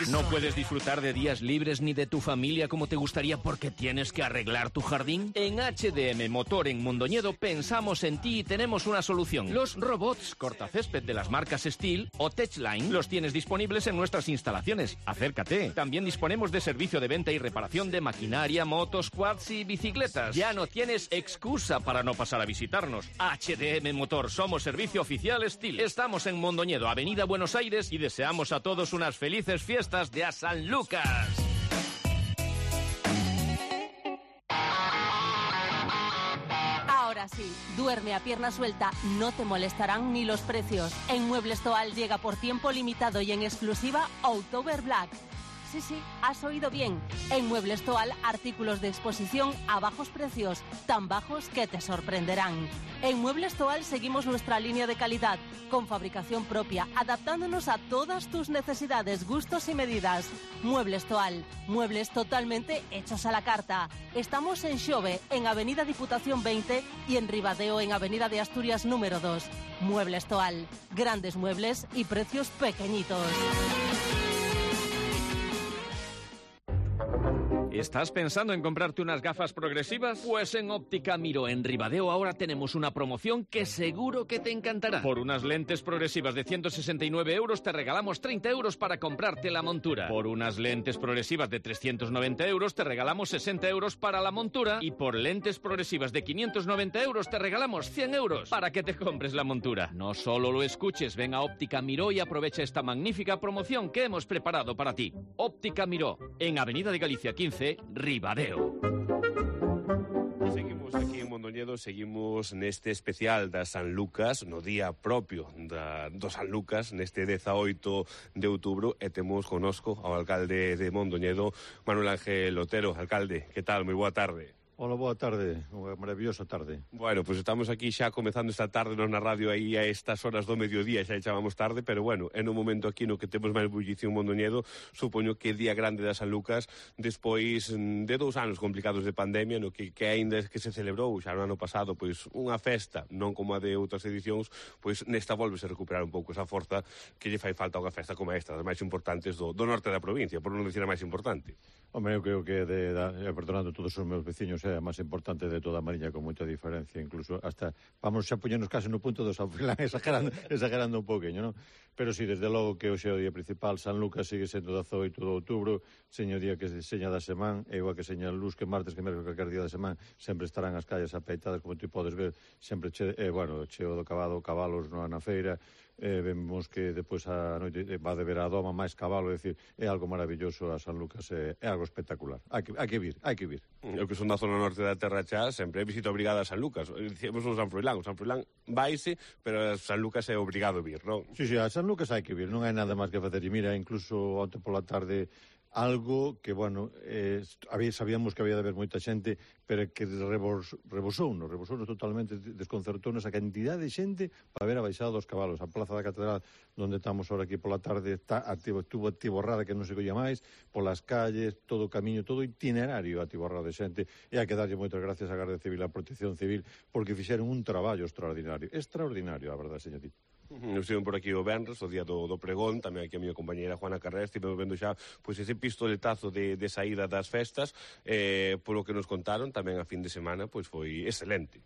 No puedes disfrutar de días libres ni de tu familia como te gustaría porque tienes que arreglar tu jardín. En HDM Motor en Mondoñedo pensamos en ti y tenemos una solución. Los robots cortacésped de las marcas Steel o Techline los tienes disponibles en nuestras instalaciones. Acércate. También disponemos de servicio de venta y reparación de maquinaria, motos, quads y bicicletas. Ya no tienes excusa para no pasar a visitarnos. HDM Motor, somos servicio oficial Steel. Estamos en Mondoñedo, Avenida Buenos Aires, y deseamos a todos unas felices fiestas de a San Lucas. Ahora sí, duerme a pierna suelta, no te molestarán ni los precios. En Muebles Toal llega por tiempo limitado y en exclusiva October Black. Sí, has oído bien. En Muebles Toal, artículos de exposición a bajos precios, tan bajos que te sorprenderán. En Muebles Toal seguimos nuestra línea de calidad, con fabricación propia, adaptándonos a todas tus necesidades, gustos y medidas. Muebles Toal, muebles totalmente hechos a la carta. Estamos en Xove, en Avenida Diputación 20 y en Ribadeo, en Avenida de Asturias número 2. Muebles Toal, grandes muebles y precios pequeñitos. ¿Estás pensando en comprarte unas gafas progresivas? Pues en Óptica Miró en Ribadeo ahora tenemos una promoción que seguro que te encantará. Por unas lentes progresivas de 169 euros te regalamos 30 euros para comprarte la montura. Por unas lentes progresivas de 390 euros te regalamos 60 euros para la montura. Y por lentes progresivas de 590 euros te regalamos 100 euros para que te compres la montura. No solo lo escuches, ven a Óptica Miró y aprovecha esta magnífica promoción que hemos preparado para ti. Óptica Miró, en Avenida de Galicia 15, Ribadeo. Seguimos aquí en Mondoñedo, seguimos neste especial da San Lucas, no día propio do San Lucas, neste 18 de outubro, e temos conosco ao alcalde de Mondoñedo, Manuel Ángel Otero. Alcalde, que tal? Moi boa tarde. Hola, boa tarde, unha maravillosa tarde. Bueno, pues estamos aquí xa comezando esta tarde nos na radio aí a estas horas do mediodía, xa chamamos tarde, pero bueno, en un momento aquí no que temos máis bullición Mondoñedo, supoño que día grande da San Lucas, despois de 2 anos complicados de pandemia, no que aínda que se celebrou xa no ano pasado, pois unha festa, non como a de outras edicións, pois nesta volvese a recuperar un pouco esa forza que lle fai falta unha festa como esta, das máis importantes do norte da provincia, por non dicir a máis importante. Home, eu creo que, perdonando todos os meus veciños, é a máis importante de toda a Mariña, con moita diferencia, incluso hasta, vamos xa poñernos case no punto do San Frilán, exagerando un pouquinho, non? Pero sí, desde logo que hoxe é o día principal, San Lucas sigue sendo 18 de outubro, seño día que seña da semana, e igual que seña luz, que martes, que mércoles, calquer día da semana, sempre estarán as calles apeitadas, como tú podes ver, sempre cheo do cabalos na feira, vemos que depois a noite va de ver a doma máis cabalo, é dicir, é algo maravilloso a San Lucas, é algo espectacular. Hai que vir. Eu que son da zona norte da Terra Chá, sempre é visita obrigada a San Lucas. Dicíamos o San Froilán vaise, pero a San Lucas é obrigado vir, non? Sí, a San Lucas hai que vir, non hai nada máis que facer. E mira, incluso onte pola tarde algo que, bueno, sabíamos que había de haber moita xente, pero que rebosounos totalmente, desconcertounos a cantidad de xente para ver a baixada dos cabalos. A Plaza da Catedral, onde estamos ahora aquí pola tarde, estuvo atiborrada que non se colla máis, polas calles, todo o camiño, todo o itinerario atiborrado de xente, e hai que darlle moitas gracias á Garda Civil, á Protección Civil, porque fixeron un traballo extraordinario, a verdade, señorita. Estive por aquí o venres, o día do pregón, tamén aquí a miña compañeira Juana Carrera, estive vendo xa pois ese pistoletazo de saída das festas, polo que nos contaron, tamén a fin de semana, pois foi excelente.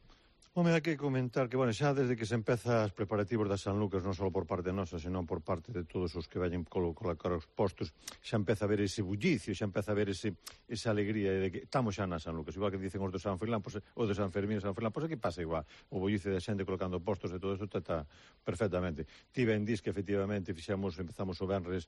Home, hai que comentar que, bueno, xa desde que se empeza os preparativos da San Lucas, non só por parte nosa, senón por parte de todos os que vayan colocar os postos, xa empeza a ver ese bullicio, xa empeza a ver esa alegría de que estamos xa na San Lucas, igual que dicen os de San Froilán, o de San Fermín e San Froilán, pois aquí pasa igual, o bullicio de xente colocando postos e todo isto está perfectamente. Ti ben dis que efectivamente empezamos o venres,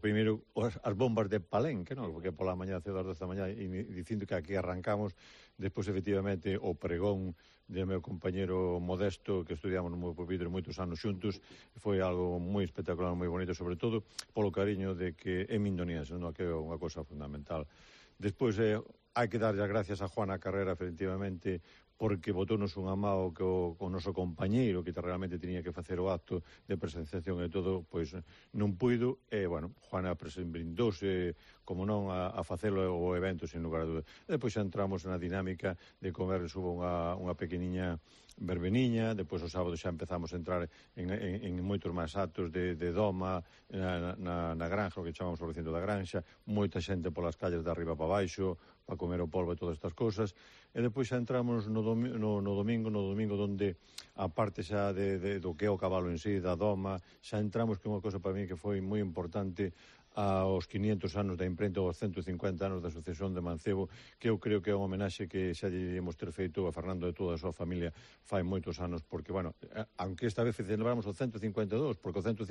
primeiro as bombas de Palenque, non? Porque pola mañá, cedo das 10 da mañá, dicindo que aquí arrancamos, despois efectivamente o pregón de meu compañero Modesto, que estudiamos no Pupitre moitos anos xuntos, foi algo moi espectacular, moi bonito, sobre todo polo cariño de que é mindoniense, non? Que é unha cosa fundamental. Despois hai que darlle as gracias a Juana Carrera, efectivamente, porque botónos unha mao que o noso compañeiro, que realmente tiña que facer o acto de presenciación e todo, pois non puido, e, bueno, Juana brindouse, como non, a facelo o evento, sin lugar a dúdas. E depois xa entramos na dinámica de comer, hubo unha pequeniña verbeniña, depois o sábado xa empezamos a entrar en moitos máis actos de doma na granja, o que chamamos o recinto da granxa, moita xente polas calles de arriba para baixo, para comer o polvo e todas estas cousas, e depois xa entramos no domingo onde a parte xa do que é o cabalo en sí, da doma, xa entramos que unha cosa para mí que foi moi importante, aos 500 anos da imprenta, aos 150 anos da sucesión de Mancebo, que eu creo que é unha homenaxe que xa debemos ter feito a Fernando e toda a súa familia fai moitos anos, porque, bueno, aunque esta vez celebramos o 152, porque o 150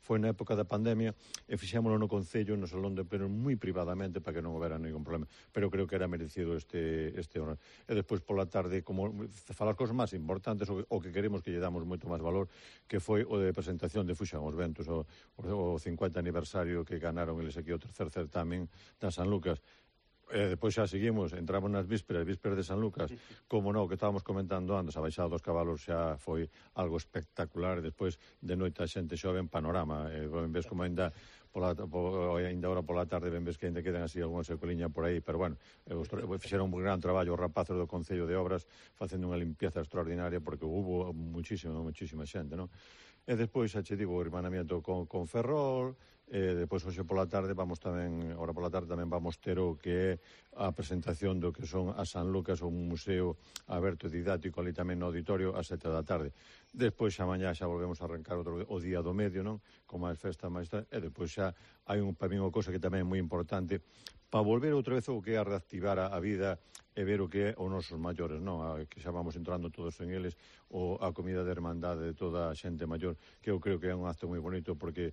foi na época da pandemia, e fixémolo no Concello, no Salón de Pleno, moi privadamente, para que non houbera ningún problema, pero creo que era merecido este honor. E despois pola tarde, como falar cosas máis importantes, o que queremos que lle damos moito máis valor, que foi o de presentación de Fuxan os Ventos, o 50 aniversario que ganaron eles aquí o tercer certamen da San Lucas. Depois xa seguimos, entramos nas vísperas de San Lucas, como non, que estábamos comentando antes, a baixada dos cabalos xa foi algo espectacular, e despois de noite a xente xoven panorama, ves como ainda ahora pola tarde ves que ainda quedan así algunha secoliña por aí, pero bueno, fixeron un gran traballo os rapaces do Concello de Obras facendo unha limpieza extraordinaria, porque hubo muchísima xente, non? E despois, xa che digo, o hermanamiento con Ferrol, depois hoxe pola tarde vamos tamén ter o que é a presentación do que son a San Lucas, un museo aberto e didáctico ali tamén no auditorio a 7 da tarde. Despois xa mañá xa volvemos a arrancar o día do medio, non? Con máis festa, e despois xa hai para mí unha cosa que tamén é moi importante, para volver outra vez o que é a reactivar a vida e ver o que é os nosos maiores, non? Que xa vamos entrando todos en eles, a comida de hermandade de toda a xente maior, que eu creo que é un acto moi bonito, porque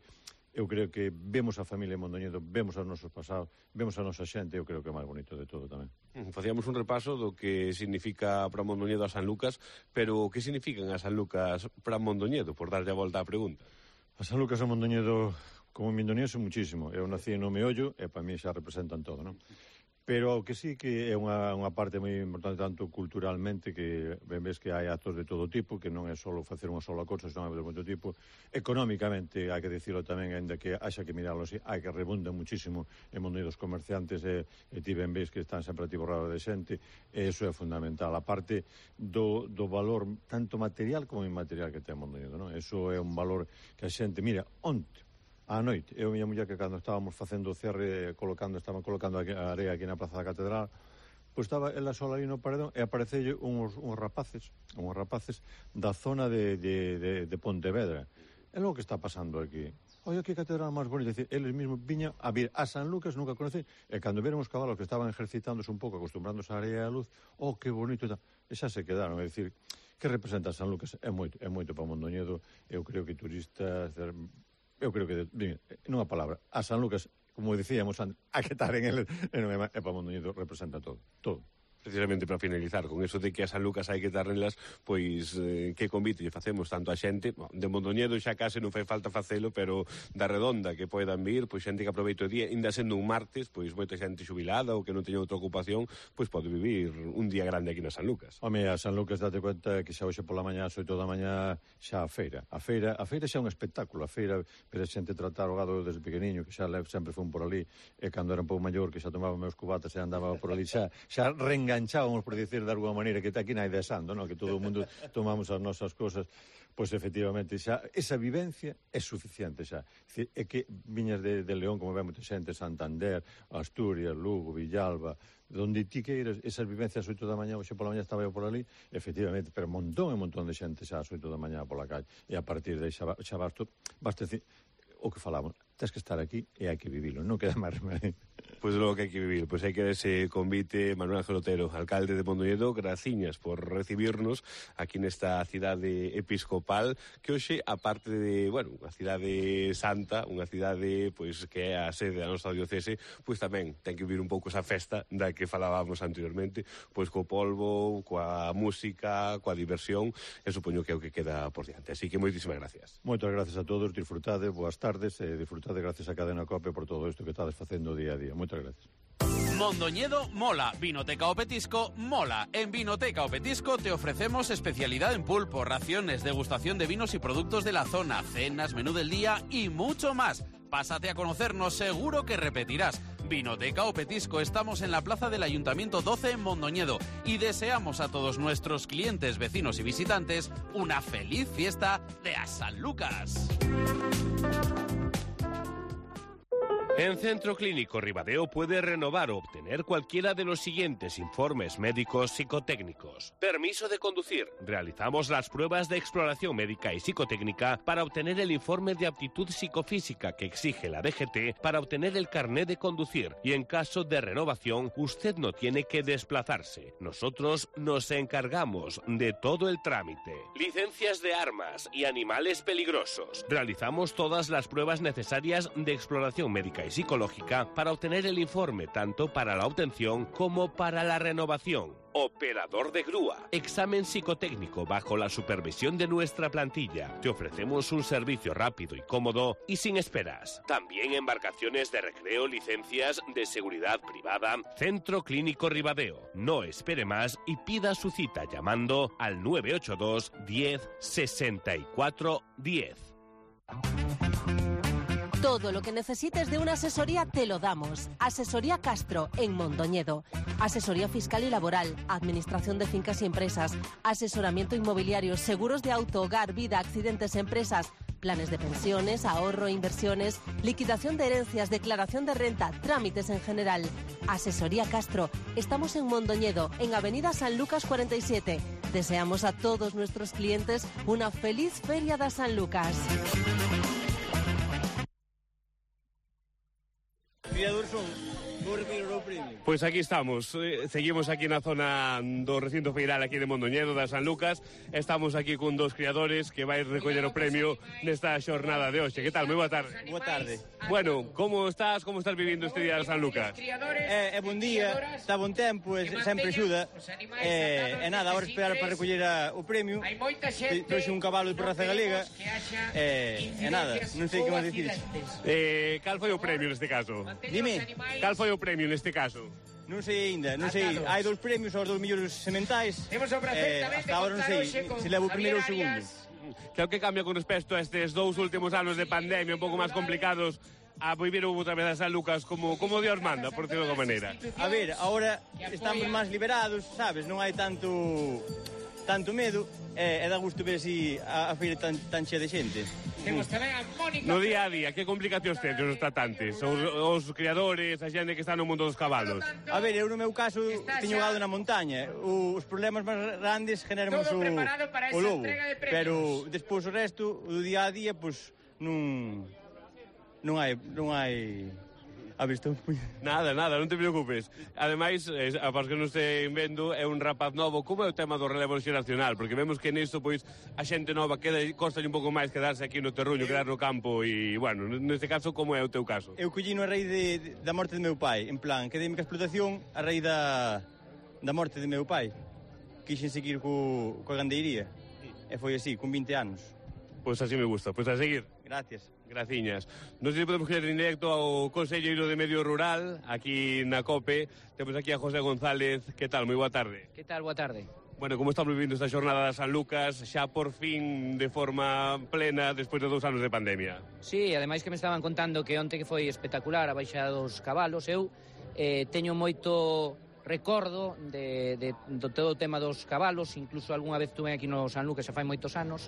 eu creo que vemos a familia Mondoñedo, vemos os nosos pasados, vemos a nosa xente, eu creo que é o máis bonito de todo tamén. Facíamos un repaso do que significa para Mondoñedo a San Lucas, pero o que significan a San Lucas para Mondoñedo, por darlle a volta á pregunta? A San Lucas a Mondoñedo, como mindoniense, muchísimo. Eu nací no Meollo e para mí xa representan todo, non? Pero o que sí que é unha parte moi importante, tanto culturalmente, que ves que hai actos de todo tipo, que non é só facer unha sola cosa, senón de moito tipo. Económicamente, hai que dicirlo tamén, ainda que haxa que mirarlo así, hai que rebunda muchísimo en mundo dos comerciantes, e ti ben ves que están sempre atiborrados de xente, e iso é fundamental. A parte do valor tanto material como inmaterial que ten Mondoñedo, non? Iso é un valor que a xente, mira, onte, á noite, eu e miña muller, que cando estábamos facendo o cierre, estaban colocando a area aquí na Plaza da Catedral, pois estaba ela sola ali no paredón e aparecelle uns rapaces da zona de Pontevedra. É logo que está pasando aquí. Oye, que catedral máis bonita. Decir, eles mesmos viñan a vir a San Lucas, nunca conocen, e cando viron os cabalos que estaban ejercitándose un pouco, acostumbrándose á area e á luz, que bonito, e xa se quedaron. É dicir, que representa San Lucas é moito para Mondoñedo. Eu creo que turistas, nunha palabra, a San Lucas, como dicíamos antes, a que estar en ele, é para Mondoñedo, representa todo. Precisamente para finalizar, con eso de que a San Lucas hai que darnelas, pois que convite lle facemos tanto a xente, de Mondoñedo xa case non fai falta facelo, pero da Redonda que poidan vir, pois xente que aproveite o día, ainda sendo un martes, pois moita xente xubilada ou que non teña outra ocupación, pois pode vivir un día grande aquí na San Lucas. Home, a San Lucas date conta que xa hoxe pola mañá, ás 8 da mañá, xa a feira. A feira xa é un espectáculo, a feira, pero a xente tratar o gado desde pequeniño, que xa sempre fun por ali, e cando era un pouco maior, que xa tomaba meus cubatas e andaba por ali, xa reenganchábamos, por dicir de alguma maneira, que aquí non hai desando, non? Que todo o mundo tomamos as nosas cosas, pois efectivamente xa esa vivencia é suficiente xa. É que viñas de León, como ve moita xente, Santander, Asturias, Lugo, Villalba, donde ti queiras, esas vivencias ás 8 da mañá, hoxe pola mañá estaba eu por ali, efectivamente, pero montón de xente xa ás 8 da mañá pola calle, e a partir de aí xa basta decir o que falamos, tens que estar aquí e hai que vivilo, non queda máis remedio. Pois logo que hai que vivir, pois hai que dar ese convite. Manuel Ángel Otero, alcalde de Mondoñedo, graciñas por recibirnos aquí nesta cidade episcopal, que hoxe, aparte de, unha cidade santa, unha cidade pois que é a sede da nosa diocese, pois tamén ten que vivir un pouco esa festa da que falábamos anteriormente, pois co polvo, coa música, coa diversión, e supoño que é o que queda por diante. Así que moitísimas gracias. Moitas gracias a todos, disfrutade, boas tardes, e disfrutade gracias a Cadena Cope por todo isto que estades facendo día a día. Moitas gracias. Mondoñedo mola, Vinoteca o Petisco mola. En Vinoteca o Petisco te ofrecemos especialidad en pulpo, raciones, degustación de vinos y productos de la zona, cenas, menú del día y mucho más. Pásate a conocernos, seguro que repetirás. Vinoteca o Petisco, estamos en la plaza del Ayuntamiento 12 en Mondoñedo y deseamos a todos nuestros clientes, vecinos y visitantes una feliz fiesta de a San Lucas. En Centro Clínico Ribadeo puede renovar o obtener cualquiera de los siguientes informes médicos psicotécnicos. Permiso de conducir. Realizamos las pruebas de exploración médica y psicotécnica para obtener el informe de aptitud psicofísica que exige la DGT para obtener el carnet de conducir. Y en caso de renovación, usted no tiene que desplazarse. Nosotros nos encargamos de todo el trámite. Licencias de armas y animales peligrosos. Realizamos todas las pruebas necesarias de exploración médica y psicológica para obtener el informe tanto para la obtención como para la renovación. Operador de grúa. Examen psicotécnico bajo la supervisión de nuestra plantilla. Te ofrecemos un servicio rápido y cómodo y sin esperas. También embarcaciones de recreo, licencias de seguridad privada. Centro Clínico Ribadeo. No espere más y pida su cita llamando al 982 10 64 10. Todo lo que necesites de una asesoría te lo damos. Asesoría Castro, en Mondoñedo. Asesoría fiscal y laboral, administración de fincas y empresas, asesoramiento inmobiliario, seguros de auto, hogar, vida, accidentes, empresas, planes de pensiones, ahorro, inversiones, liquidación de herencias, declaración de renta, trámites en general. Asesoría Castro. Estamos en Mondoñedo, en Avenida San Lucas 47. Deseamos a todos nuestros clientes una feliz Feria de San Lucas. Pois aquí estamos, seguimos aquí na zona do recinto feiral aquí de Mondoñedo, da San Lucas. Estamos aquí con dos criadores que vai recoller o premio nesta xornada de hoxe. Que tal? Moi boa tarde. Boa tarde. Bueno, como estás vivindo este día de San Lucas? É bon día, está bon tempo, sempre axuda. E nada, agora esperar para recoller o premio. Trouxe un cabalo de Raza Galega. E nada, non sei que máis dicir. Cal foi o premio neste caso? Dime. Cal foi o premio neste caso? Non sei ainda, non sei. Hai dous premios aos dos mellores sementais. Hasta agora non sei se levo o primeiro ou o segundo. Que é o que cambia con respecto a estes dous últimos anos de pandemia un pouco máis complicados a vivir outra vez a San Lucas como Dios manda, por decirlo de alguma maneira? A ver, agora estamos máis liberados, sabes? Non hai tanto medo e dá gusto ver así a feira tan chea de xente. No día a día, que complicacións tedes os tratantes, os criadores, a xente que está no mundo dos cabalos? A ver, eu no meu caso teño gado na montaña. Os problemas máis grandes generamos o lobo, pero despois o resto, o día a día, pois non hai A ver, estou... Nada, non te preocupes. Ademais, para os que non estén vendo, é un rapaz novo. Como é o tema do relevo xeracional? Porque vemos que nisto, pois, a xente nova costa un pouco máis quedarse aquí no terruño, quedar no campo e, bueno, neste caso, como é o teu caso? Eu collino a raíz da morte do meu pai. En plan, quedei-me ca explotación a raíz da morte do meu pai. Quixen seguir coa gandeiría. E foi así, con 20 anos. Pois así me gusta. Pois a seguir. Gracias. Graciñas. Non sei se podemos ir en directo ao Conselleiro de Medio Rural, aquí na COPE. Temos aquí a José González. Que tal? Moi boa tarde. Que tal? Boa tarde. Bueno, como estamos vivindo esta xornada de San Lucas, xa por fin de forma plena despois de 2 anos de pandemia? Sí, ademais que me estaban contando que onte que foi espectacular a baixa dos cabalos. Eu teño moito recordo do todo o tema dos cabalos, incluso algunha vez tuve aquí no San Lucas, xa fai moitos anos,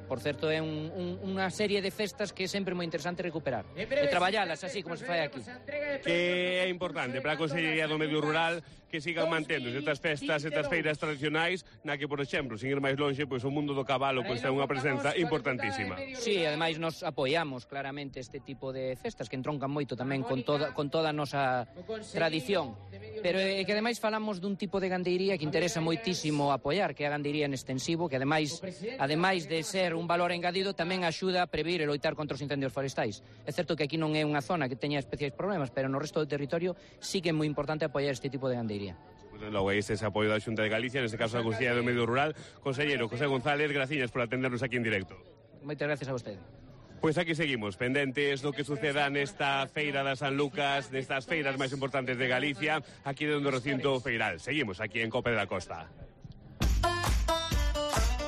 por certo é unha serie de festas que é sempre moi interesante recuperar e traballalas así como se fai aquí. Que é importante para a Consellería do Medio Rural que sigan mantendo estas festas, estas feiras tradicionais, na que, por exemplo, sin ir máis longe, pois o mundo do cabalo pois é unha presenza importantísima. Sí, ademais nos apoiamos claramente este tipo de festas que entroncan moito tamén con toda a nosa tradición, pero é que ademais falamos dun tipo de gandeiría que interesa moitísimo apoiar, que é a gandeiría en extensivo, que ademais de ser un valor engadido, tamén axuda a previr e loitar contra os incendios forestais. É certo que aquí non é unha zona que teña especiais problemas, pero no resto do territorio sí que é moi importante apoiar este tipo de gandeiría. Logo, este é o apoio da Xunta de Galicia, neste caso da Consellería do Medio Rural. Conselleiro José González, graciñas por atendernos aquí en directo. Moitas gracias a vostede. Pois aquí seguimos, pendentes do que suceda nesta feira da San Lucas, nestas feiras máis importantes de Galicia, aquí dentro do recinto feiral. Seguimos aquí en Cope da Costa.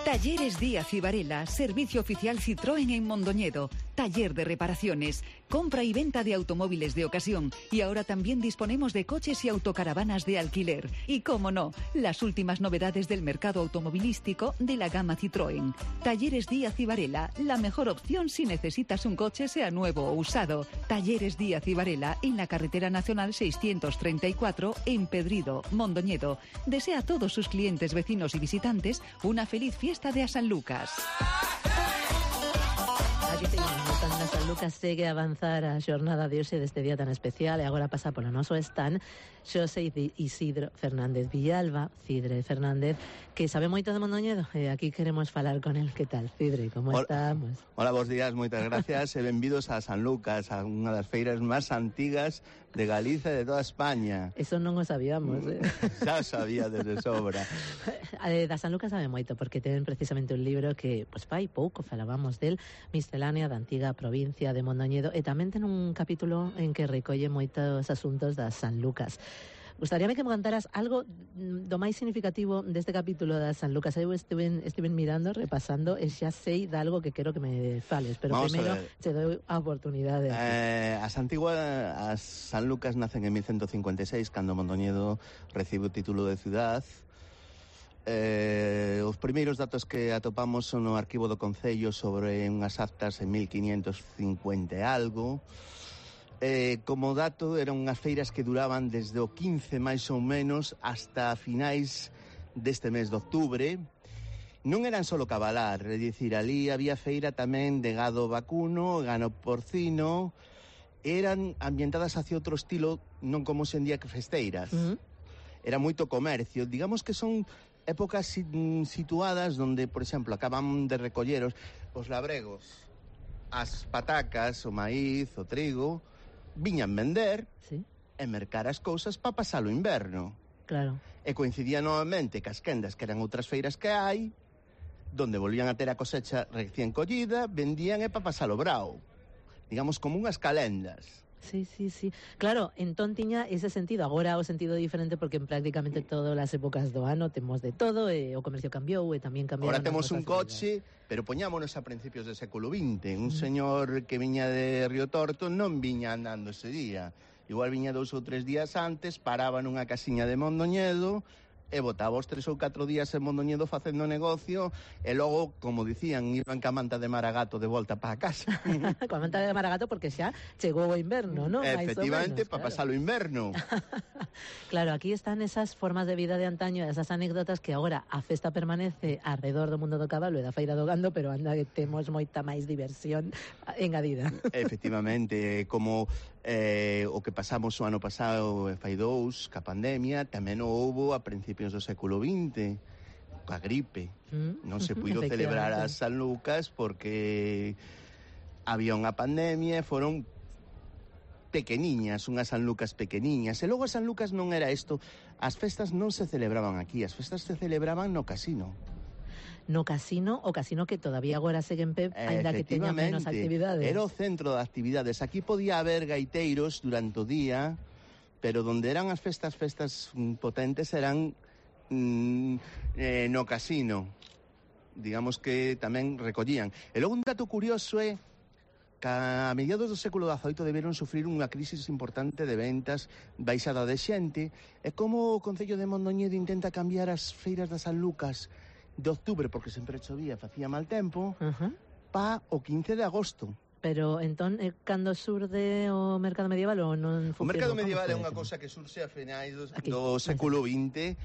Talleres Díaz y Varela, servicio oficial Citroën en Mondoñedo, taller de reparaciones, compra y venta de automóviles de ocasión y ahora también disponemos de coches y autocaravanas de alquiler. Y cómo no, las últimas novedades del mercado automovilístico de la gama Citroën. Talleres Díaz y Varela, la mejor opción si necesitas un coche sea nuevo o usado. Talleres Díaz y Varela en la carretera nacional 634 en Pedrido, Mondoñedo. Desea a todos sus clientes, vecinos y visitantes una feliz fiesta de a San Lucas. Aquí seguimos, na San Lucas segue a avanzar a xornada de hoxe deste día tan especial e agora pasa polo noso stand Xosé Isidro Fernández Villalba, Cidre Fernández, que sabe moito de Mondoñedo e aquí queremos falar con el. Que tal, Cidre? Como estamos? Hola, bons días, moitas gracias e benvidos a San Lucas, a unha das feiras máis antigas de Galicia e de toda España. Eso non o sabíamos, Xa sabía desde sobra. Da San Lucas sabe moito, porque ten precisamente un libro que, pois fai pouco falábamos del, Miscelánea da antiga provincia de Mondoñedo, e tamén ten un capítulo en que recolle moitos asuntos da San Lucas. Gustaríame que me contaras algo do máis significativo deste capítulo da San Lucas. Eu estive mirando, repasando, e xa sei de algo que quero que me fales, pero primeiro te dou a oportunidade. As San Lucas nacen en 1156, cando Mondoñedo recibe o título de ciudad. Os primeiros datos que atopamos son no arquivo do Concello sobre unhas actas en 1550 e algo. Como dato, eran unhas feiras que duraban desde o 15 máis ou menos hasta finais deste mes de outubro. Non eran só cabalar, é dicir, ali había feira tamén de gado vacuno, gano porcino, eran ambientadas hacia outro estilo, non como hoxe en día que festeiras. Era moito comercio, digamos que son épocas situadas onde, por exemplo, acaban de recoller os labregos, as patacas, o maíz, o trigo, viñan vender e mercar as cousas para pasar o inverno. Claro. E coincidía novamente cas quendas, que eran outras feiras que hai, donde volvían a ter a cosecha recién collida, vendían e para pasar o brao. Digamos, como unhas calendas. Sí. Claro, entón tiña ese sentido. Agora o sentido diferente porque en prácticamente todas as épocas do ano temos de todo e o comercio cambiou e tamén cambiou. Agora temos un coche, pero poñámonos a principios do século XX. Un señor que viña de Río Torto non viña andando ese día. Igual viña 2 ou 3 días antes, paraba nunha casiña de Mondoñedo, e botaba os 3 ou 4 días en Mondoñedo facendo negocio e logo, como dicían, iban ca manta de Maragato de volta para casa. Coa manta de Maragato porque xa chegou o inverno, non? Efectivamente, para pasar o inverno. Claro, aquí están esas formas de vida de antaño, esas anécdotas que agora a festa permanece alrededor do mundo do cabalo e da feira do gando, pero anda que temos moita máis diversión engadida. Efectivamente, como o que pasamos o ano pasado fai 2, ca pandemia, tamén o houbo a principios do século XX, coa gripe. Non se puido celebrar as San Lucas porque había unha pandemia e foron pequeniñas, unhas San Lucas pequeniñas. E logo as San Lucas non era isto. As festas non se celebraban aquí, as festas se celebraban no casino. No casino, o casino que todavía agora segue en pé, ainda que teña menos actividades. Era o centro de actividades. Aquí podía haber gaiteiros durante o día, pero donde eran as festas potentes eran no casino. Digamos que tamén recollían. E logo un dato curioso é que a mediados do século XVIII deberon sufrir unha crisis importante de ventas, baixada de xente, e como o Concello de Mondoñedo intenta cambiar as feiras das San Lucas de octubre, porque sempre chovía, facía mal tempo, pa o 15 de agosto. Pero, entón, cando surde o mercado medieval ou non funciona? O mercado medieval é unha cousa que surxe a finais do século XX,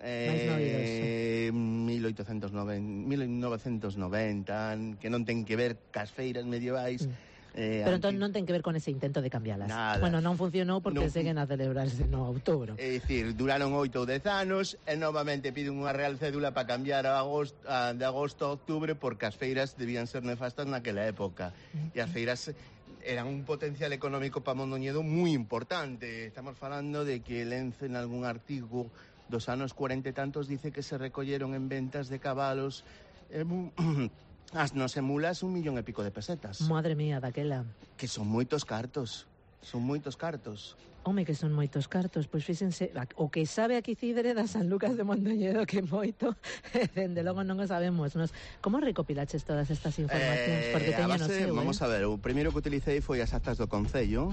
1990, que non ten que ver cas feiras medievais. Pero entón non ten que ver con ese intento de cambialas. Nada. Bueno, non funcionou porque seguen a celebrarse no outubro. É dicir, duraron 8 ou 10 anos e novamente piden unha real cédula para cambiar de agosto a outubro porque as feiras debían ser nefastas naquela época. E as feiras eran un potencial económico para Mondoñedo moi importante. Estamos falando de que Lence en algún artigo dos anos 40 e tantos dice que se recolleron en ventas de cabalos as nosa mulas 1,5 millón de pesetas. Madre mía, daquela. Que son moitos cartos. Son moitos cartos. Home, que son moitos cartos. Pois fíxense, o que sabe aquí Cidre da San Lucas de Mondoñedo que moito, dende logo non o sabemos. Como recopilaches todas estas informacións? Porque teñen o seu, vamos a ver, o primeiro que utilicei foi as actas do Concello.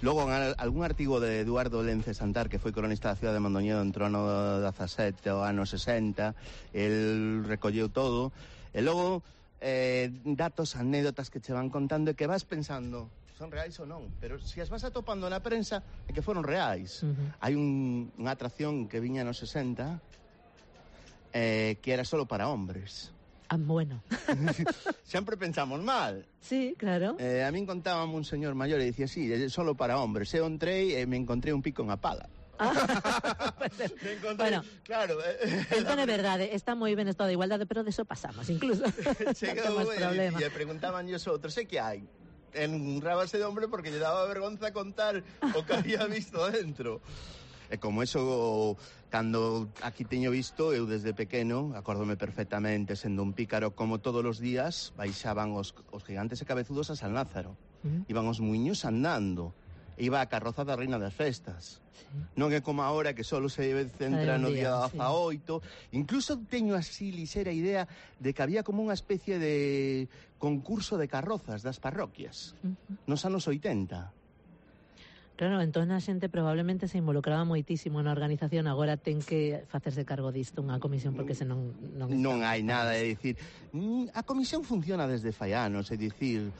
Logo, algún artigo de Eduardo Lence Santar, que foi cronista da cidade de Mondoñedo entre o ano 17 e o ano 60. El recolleu todo. E logo, datos, anécdotas que che van contando e que vas pensando son reais ou non, pero se as vas atopando na prensa é que foron reais. Hai unha atracción que viña nos 60 que era solo para hombres. Bueno. Sempre pensamos mal. Sí, claro. A min contábame un señor maior e dicía, sí, é solo para hombres. Eu entrei e me encontrei un pico en a pala. Bueno, claro, entón é verdade, está moi ben estado de igualdade, pero deso pasamos, incluso. Chegou e preguntaban os outros, que hai? Enrábase de hombre porque lle daba vergonza contar o que había visto dentro. E como eso, cando aquí teño visto, eu desde pequeno, acórdome perfectamente, sendo un pícaro, como todos os días, baixaban os gigantes e cabezudos a San Lázaro. Iban os muiños andando. Iba a carroza da Reina das Festas. Non é como agora que só se centra no día 18. Incluso teño así lixera idea de que había como unha especie de concurso de carrozas das parroquias nos anos 80. Claro, entón a xente probablemente se involucraba moitísimo na organización, agora ten que facerse cargo disto unha comisión porque senón non hai nada, é dicir, a comisión funciona desde fai anos, é dicir,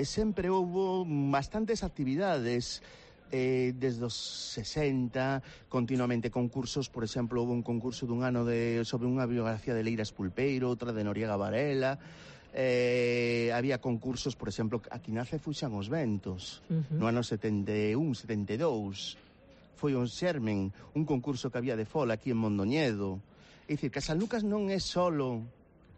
sempre houbo bastantes actividades desde os 60, continuamente concursos. Por exemplo, houve un concurso dun ano sobre unha biografía de Leiras Pulpeiro, outra de Noriega Varela. Había concursos, por exemplo, aquí nace Fuxan os Ventos, no ano 71, 72. Foi un xermen, un concurso que había de fola aquí en Mondoñedo. É dicir, que a San Lucas non é solo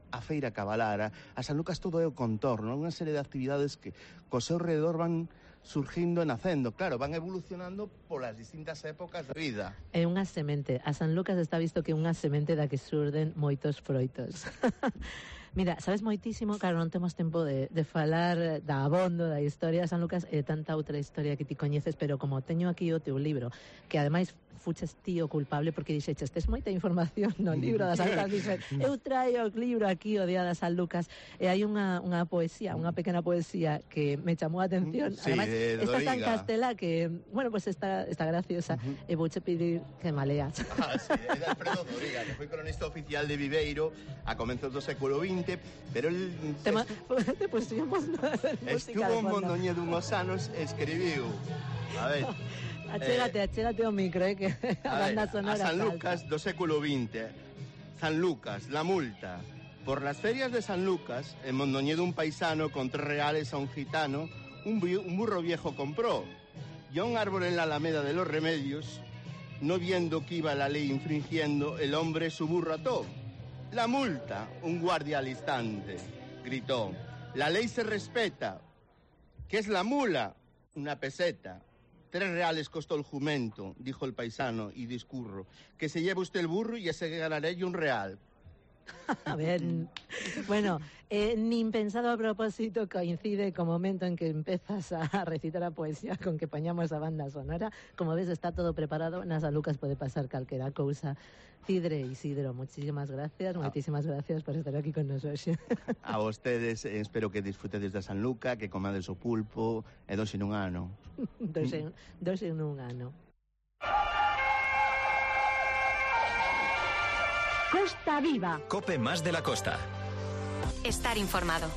a feira cabalara, a San Lucas todo é o contorno, unha serie de actividades que co seu redor van surgindo e nacendo. Claro, van evolucionando polas distintas épocas de vida. É unha semente. A San Lucas está visto que é unha semente da que surden moitos froitos. Mira, sabes moitísimo, claro, non temos tempo de falar da abondo, da historia de San Lucas e tanta outra historia que ti coñeces, pero como teño aquí o teu libro, que ademais fuches ti o culpable porque dixeches, tes moita información no libro das San Lucas, dixen, eu traio o libro aquí o día das San Lucas, e hai unha poesía, unha pequena poesía que me chamou a atención, sí, ademais, esta está en Castela que, bueno, pues está graciosa, e vouche pedir que me leas. Sí, é de Alfredo Doriga, que foi cronista oficial de Viveiro a comenzos do século XX, pero el te pusimos estuvo en Mondoñedo unhos anos e escribiu, a ver, Achégate o micro, que a banda sonora a San Lucas do século XX. San Lucas, la multa. Por las ferias de San Lucas, en Mondoñedo un paisano con 3 reales a un gitano, un burro viejo compró. Y a un árbol en la alameda de los Remedios, no viendo que iba la ley infringiendo, el hombre su burro ató. La multa, un guardia al instante, gritó. La ley se respeta. ¿Qué es la mula? Una peseta. 3 reales costó el jumento, dijo el paisano, y discurro. Que se lleve usted el burro y ese ganaré yo 1 real. A ver, bueno, nin pensado a propósito coincide co momento en que empezas a recitar a poesía con que poñamos a banda sonora. Como ves, está todo preparado, na San Lucas pode pasar calquera cousa. Cidre e Isidro, moitísimas gracias por estar aquí con nos hoxe. A vostedes, espero que disfrutedes da San Luca, que comades o pulpo, e 2 en un ano. 2 en un ano. Costa Viva. Cope más de la costa. Estar informado.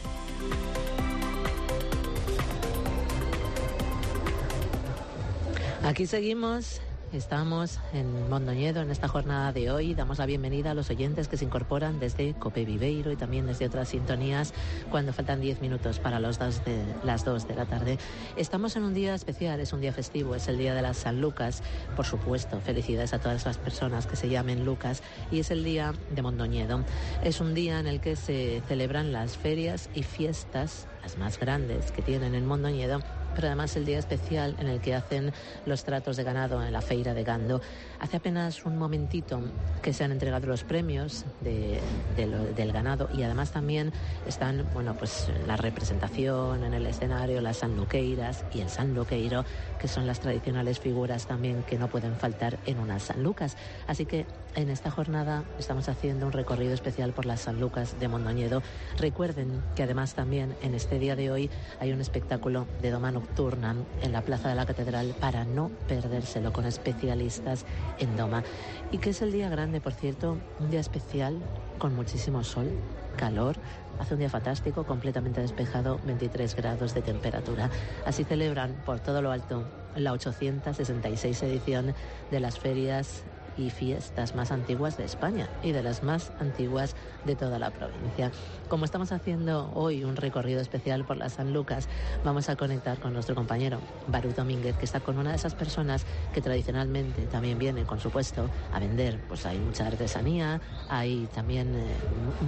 Aquí seguimos. Estamos en Mondoñedo en esta jornada de hoy. Damos la bienvenida a los oyentes que se incorporan desde Cope Viveiro y también desde otras sintonías cuando faltan 10 minutos para las 2 de la tarde. Estamos en un día especial, es un día festivo, es el día de las San Lucas. Por supuesto, felicidades a todas las personas que se llamen Lucas, y es el día de Mondoñedo. Es un día en el que se celebran las ferias y fiestas, las más grandes que tienen en Mondoñedo, pero además el día especial en el que hacen los tratos de ganado en la feira de Gando. Hace apenas un momentito que se han entregado los premios del ganado, y además también están, bueno, pues la representación en el escenario, las sanluqueiras y el sanluqueiro, que son las tradicionales figuras también que no pueden faltar en unas San Lucas. Así que en esta jornada estamos haciendo un recorrido especial por las San Lucas de Mondoñedo. Recuerden que además también en este día de hoy hay un espectáculo de doma nocturna en la Plaza de la Catedral para no perdérselo, con especialistas en doma. Y que es el día grande, por cierto, un día especial con muchísimo sol, calor. Hace un día fantástico, completamente despejado, 23 grados de temperatura. Así celebran por todo lo alto la 866 edición de las ferias y fiestas más antiguas de España y de las más antiguas de toda la provincia. Como estamos haciendo hoy un recorrido especial por las San Lucas, vamos a conectar con nuestro compañero Barú Domínguez, que está con una de esas personas que tradicionalmente también viene, con su puesto, a vender. Pues hay mucha artesanía, hay también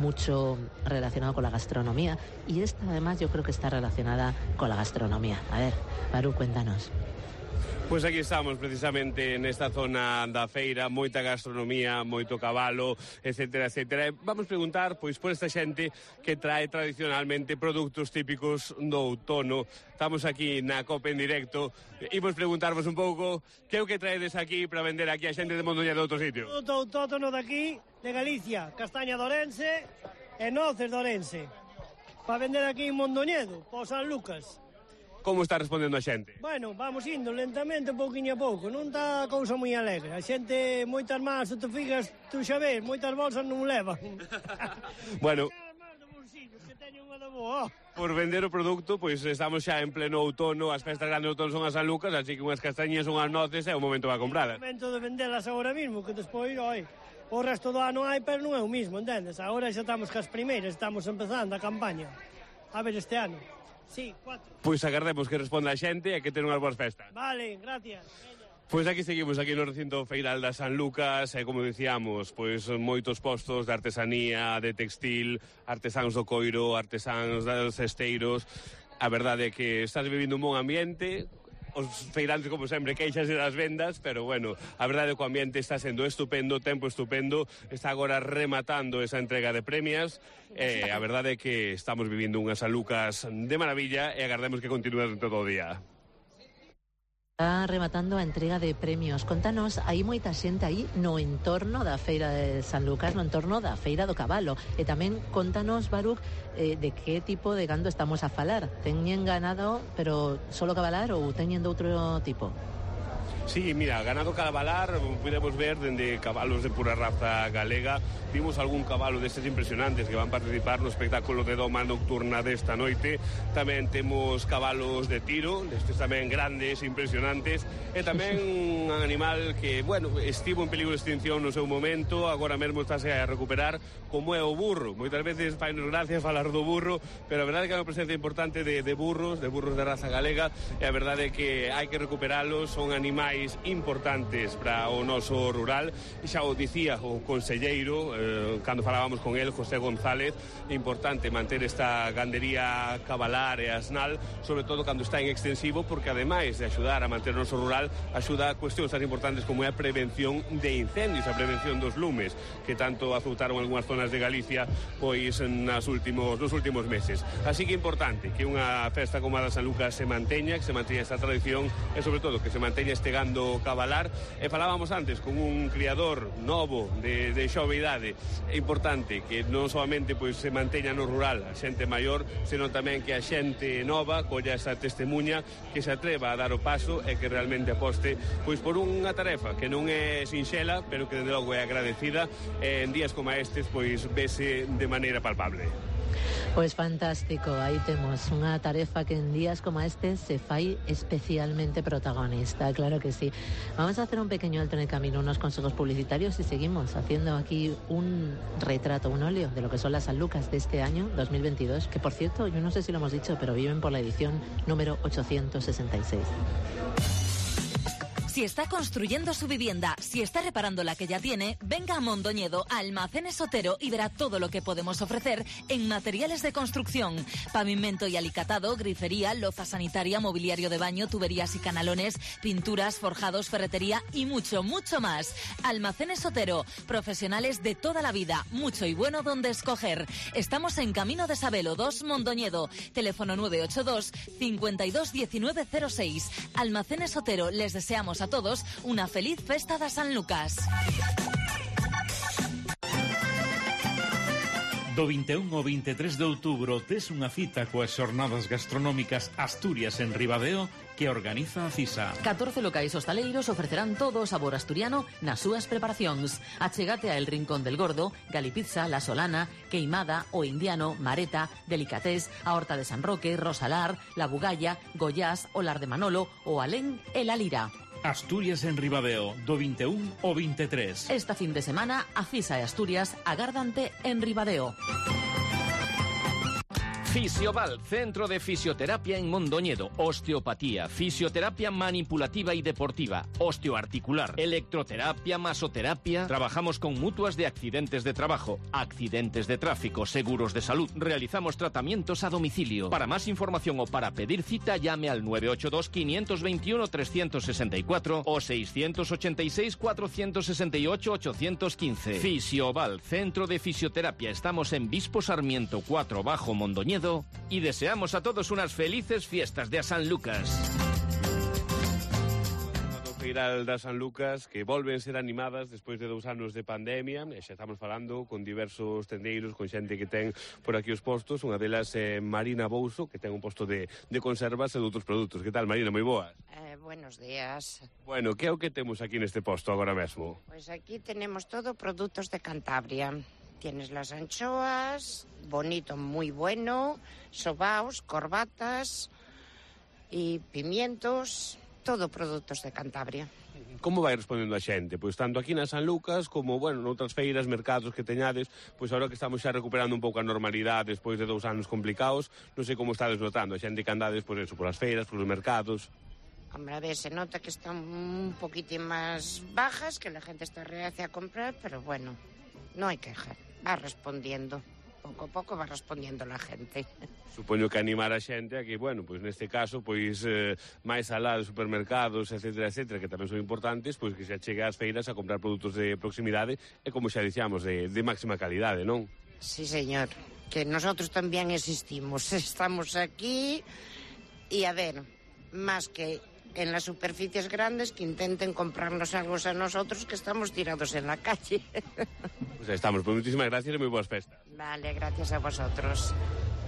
mucho relacionado con la gastronomía, y esta además yo creo que está relacionada con la gastronomía. A ver, Barú, cuéntanos. Pois aquí estamos precisamente nesta zona da feira, moita gastronomía, moito cabalo, etcétera, etcétera. Vamos preguntar pois por esta xente que trae tradicionalmente produtos típicos do outono. Estamos aquí na Cope en directo. Imos preguntarvos un pouco que é o que traedes aquí para vender aquí a xente de Mondoñedo de outro sitio. Produto autóctono de aquí, de Galicia, castaña de Orense e noces de Orense. Para vender aquí en Mondoñedo, por San Lucas. Como está respondendo a xente? Bueno, vamos indo lentamente, pouquinho a pouco. Non está a cousa moi alegre. A xente, moitas más, se te fijas, tú xa ves, moitas bolsas non levan. Bueno, por vender o produto, pois estamos xa en pleno outono, as festas grandes de outono son as San Lucas, así que unhas castañas, unhas noces, é o momento para comprarlas. É o momento de vendelas agora mismo, que despois, oi, o resto do ano hai, pero non é o mismo, entendes? Agora xa estamos cas primeiras, estamos empezando a campaña. A ver, este ano. Sí, 4. Pois agardemos que responda a xente e que ten unhas boas festas. Vale, gracias. Pois aquí seguimos, aquí no recinto feiral da San Lucas, e como dicíamos, pois moitos postos de artesanía, de textil, artesáns do coiro, artesáns dos cesteiros. A verdade é que estás vivindo un bon ambiente, os feirantes, como sempre, queixase das vendas, pero bueno, a verdade é que o ambiente está sendo estupendo, o tempo estupendo, está agora rematando esa entrega de premios, a verdade é que estamos vivindo unhas San Lucas de maravilla e agardemos que continúe todo o día. Está rematando a entrega de premios. Contanos, hai moita xente aí no entorno da Feira de San Lucas, no entorno da Feira do Cabalo. E tamén contanos, Baruch, de que tipo de gando estamos a falar. Teñen ganado, pero solo cabalar ou teñen de outro tipo? Sí, mira, ganado cabalar, podemos ver dende cabalos de pura raza galega. Vimos algún cabalo destes impresionantes que van participar no espectáculo de doma nocturna desta noite. Tamén temos cabalos de tiro, destes tamén grandes, impresionantes. E tamén un animal que, bueno, estivo en peligro de extinción no seu momento, agora mesmo estáse a recuperar, como é o burro. Moitas veces fainos gracia falar do burro, pero a verdade é que é unha presencia importante de burros de raza galega, e a verdade é que hai que recuperalos, son animais importantes para o noso rural, e xa o dicía o conselleiro cando falábamos con el, José González, é importante manter esta gandería cabalar e asnal, sobre todo cando está en extensivo, porque ademais de axudar a manter o noso rural, axuda a cuestións tan importantes como é a prevención de incendios, a prevención dos lumes, que tanto azoutaron algunhas zonas de Galicia pois nos últimos meses. Así que é importante que unha festa como a da San Lucas se manteña, que se manteña esta tradición e sobre todo que se manteña este gando cabalar. E falábamos antes con un criador novo de xove idade. É importante que non solamente pois se manteña no rural a xente maior, senón tamén que a xente nova colla esa testemunha, que se atreva a dar o paso e que realmente aposte pois por unha tarefa que non é sinxela, pero que desde logo é agradecida, e en días como estes pois vese de maneira palpable. Pois fantástico, aí temos unha tarefa que en días como este se fai especialmente protagonista, claro que sí. Vamos a hacer un pequeño alto en el camino, unos consejos publicitarios y seguimos haciendo aquí un retrato, un óleo de lo que son las San Lucas de este año 2022, que por cierto, yo no sé si lo hemos dicho, pero viven por la edición número 866. Si está construyendo su vivienda, si está reparando la que ya tiene, venga a Mondoñedo, a Almacenes Otero, y verá todo lo que podemos ofrecer en materiales de construcción. Pavimento y alicatado, grifería, loza sanitaria, mobiliario de baño, tuberías y canalones, pinturas, forjados, ferretería y mucho, mucho más. Almacenes Otero, profesionales de toda la vida, mucho y bueno donde escoger. Estamos en Camino de Sabelo 2, Mondoñedo. Teléfono 982 52 19 06. Almacenes Otero, les deseamos a todos una feliz festa da San Lucas. Do 21 ao 23 de outubro tes unha cita coas xornadas gastronómicas Asturias en Ribadeo que organiza a CISA. 14 locais hostaleiros ofrecerán todo o sabor asturiano nas súas preparacións. Achégate a El Rincón del Gordo, Galipizza, La Solana, Queimada, O Indiano, Mareta, Delicatés, a Horta de San Roque, Rosalar, La Bugalla, Goiás, Olar de Manolo, o Alén e La Lira. Asturias en Ribadeo, do 21 ao 23. Esta fin de semana, a CISA e Asturias agárdante en Ribadeo. Fisioval, Centro de Fisioterapia en Mondoñedo. Osteopatía, fisioterapia manipulativa y deportiva, osteoarticular, electroterapia, masoterapia. Trabajamos con mutuas de accidentes de trabajo, accidentes de tráfico, seguros de salud. Realizamos tratamientos a domicilio. Para más información o para pedir cita, llame al 982 521 364 o 686 468 815. Fisioval, Centro de Fisioterapia. Estamos en Bispo Sarmiento 4 Bajo Mondoñedo. Y deseamos a todos unas felices fiestas de San Lucas. Feiral da San Lucas, que volven ser animadas despois de 2 anos de pandemia, e xa estamos falando con diversos tendeiros, con xente que ten por aquí os postos. Unha delas é Marina Bouso, que ten un posto de conservas e de outros produtos. Que tal, Marina? Moi boas. Buenos días. Bueno, que é o que temos aquí neste posto agora mesmo? Pois aquí tenemos todo produtos de Cantabria. Tienes las anchoas, bonito, muy bueno, sobaos, corbatas y pimientos, todo productos de Cantabria. Como vai respondendo a xente? Pois tanto aquí na San Lucas como, bueno, noutras feiras, mercados que teñades, pois agora que estamos xa recuperando un pouco a normalidade despois de 2 anos complicados, non sei como estades notando a xente que andades, pois eso, polas feiras, polos mercados. Hombre, a ver, se nota que están un poquitín más bajas, que la gente está reacia a comprar, pero bueno, no hay queja. Va respondiendo. pouco a pouco va respondiendo a gente. Supoño que animar a xente a que, bueno, pois neste caso, pois máis alá dos supermercados, etcétera, etcétera, que tamén son importantes, pois que se achegue ás feiras a comprar produtos de proximidade e, como xa dicíamos, de máxima calidade, non? Sí, señor, que nosotros tamén existimos, estamos aquí e, a ver, máis que en las superficies grandes que intenten comprarnos algo a nosotros que estamos tirados en la calle. Pues estamos, pues muchísimas gracias y muy buenas festas. Vale, gracias a vosotros.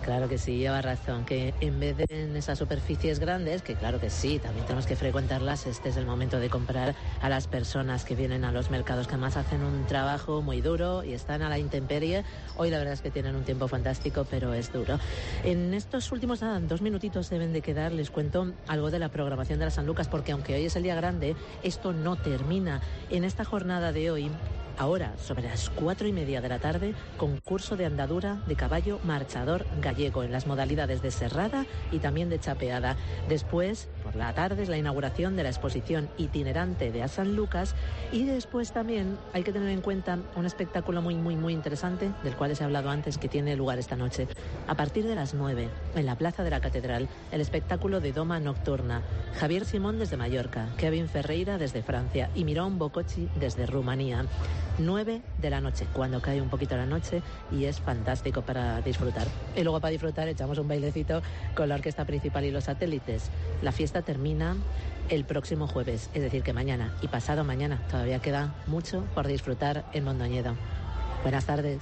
Claro que sí, lleva razón, que en vez de en esas superficies grandes, que claro que sí, también tenemos que frecuentarlas, este es el momento de comprar a las personas que vienen a los mercados, que además hacen un trabajo muy duro y están a la intemperie. Hoy la verdad es que tienen un tiempo fantástico, pero es duro. En estos últimos 2 minutitos deben de quedar, les cuento algo de la programación de la Sanlucas, porque aunque hoy es el día grande, esto no termina. En esta jornada de hoy, ahora, sobre las 4:30 de la tarde, concurso de andadura de caballo marchador gallego en las modalidades de serrada y también de chapeada. Después, por la tarde, es la inauguración de la exposición itinerante de Sanlucas y después también hay que tener en cuenta un espectáculo muy interesante, del cual les he hablado antes, que tiene lugar esta noche. A partir de las 9, en la Plaza de la Catedral, el espectáculo de Doma Nocturna. Javier Simón desde Mallorca, Kevin Ferreira desde Francia y Mirón Bococci desde Rumanía. 9 de la noche, cuando cae un poquito la noche, y es fantástico para disfrutar. Y luego para disfrutar echamos un bailecito con la orquesta principal y los satélites. La fiesta termina el próximo jueves, es decir que mañana y pasado mañana. Todavía queda mucho por disfrutar en Mondoñedo. Buenas tardes.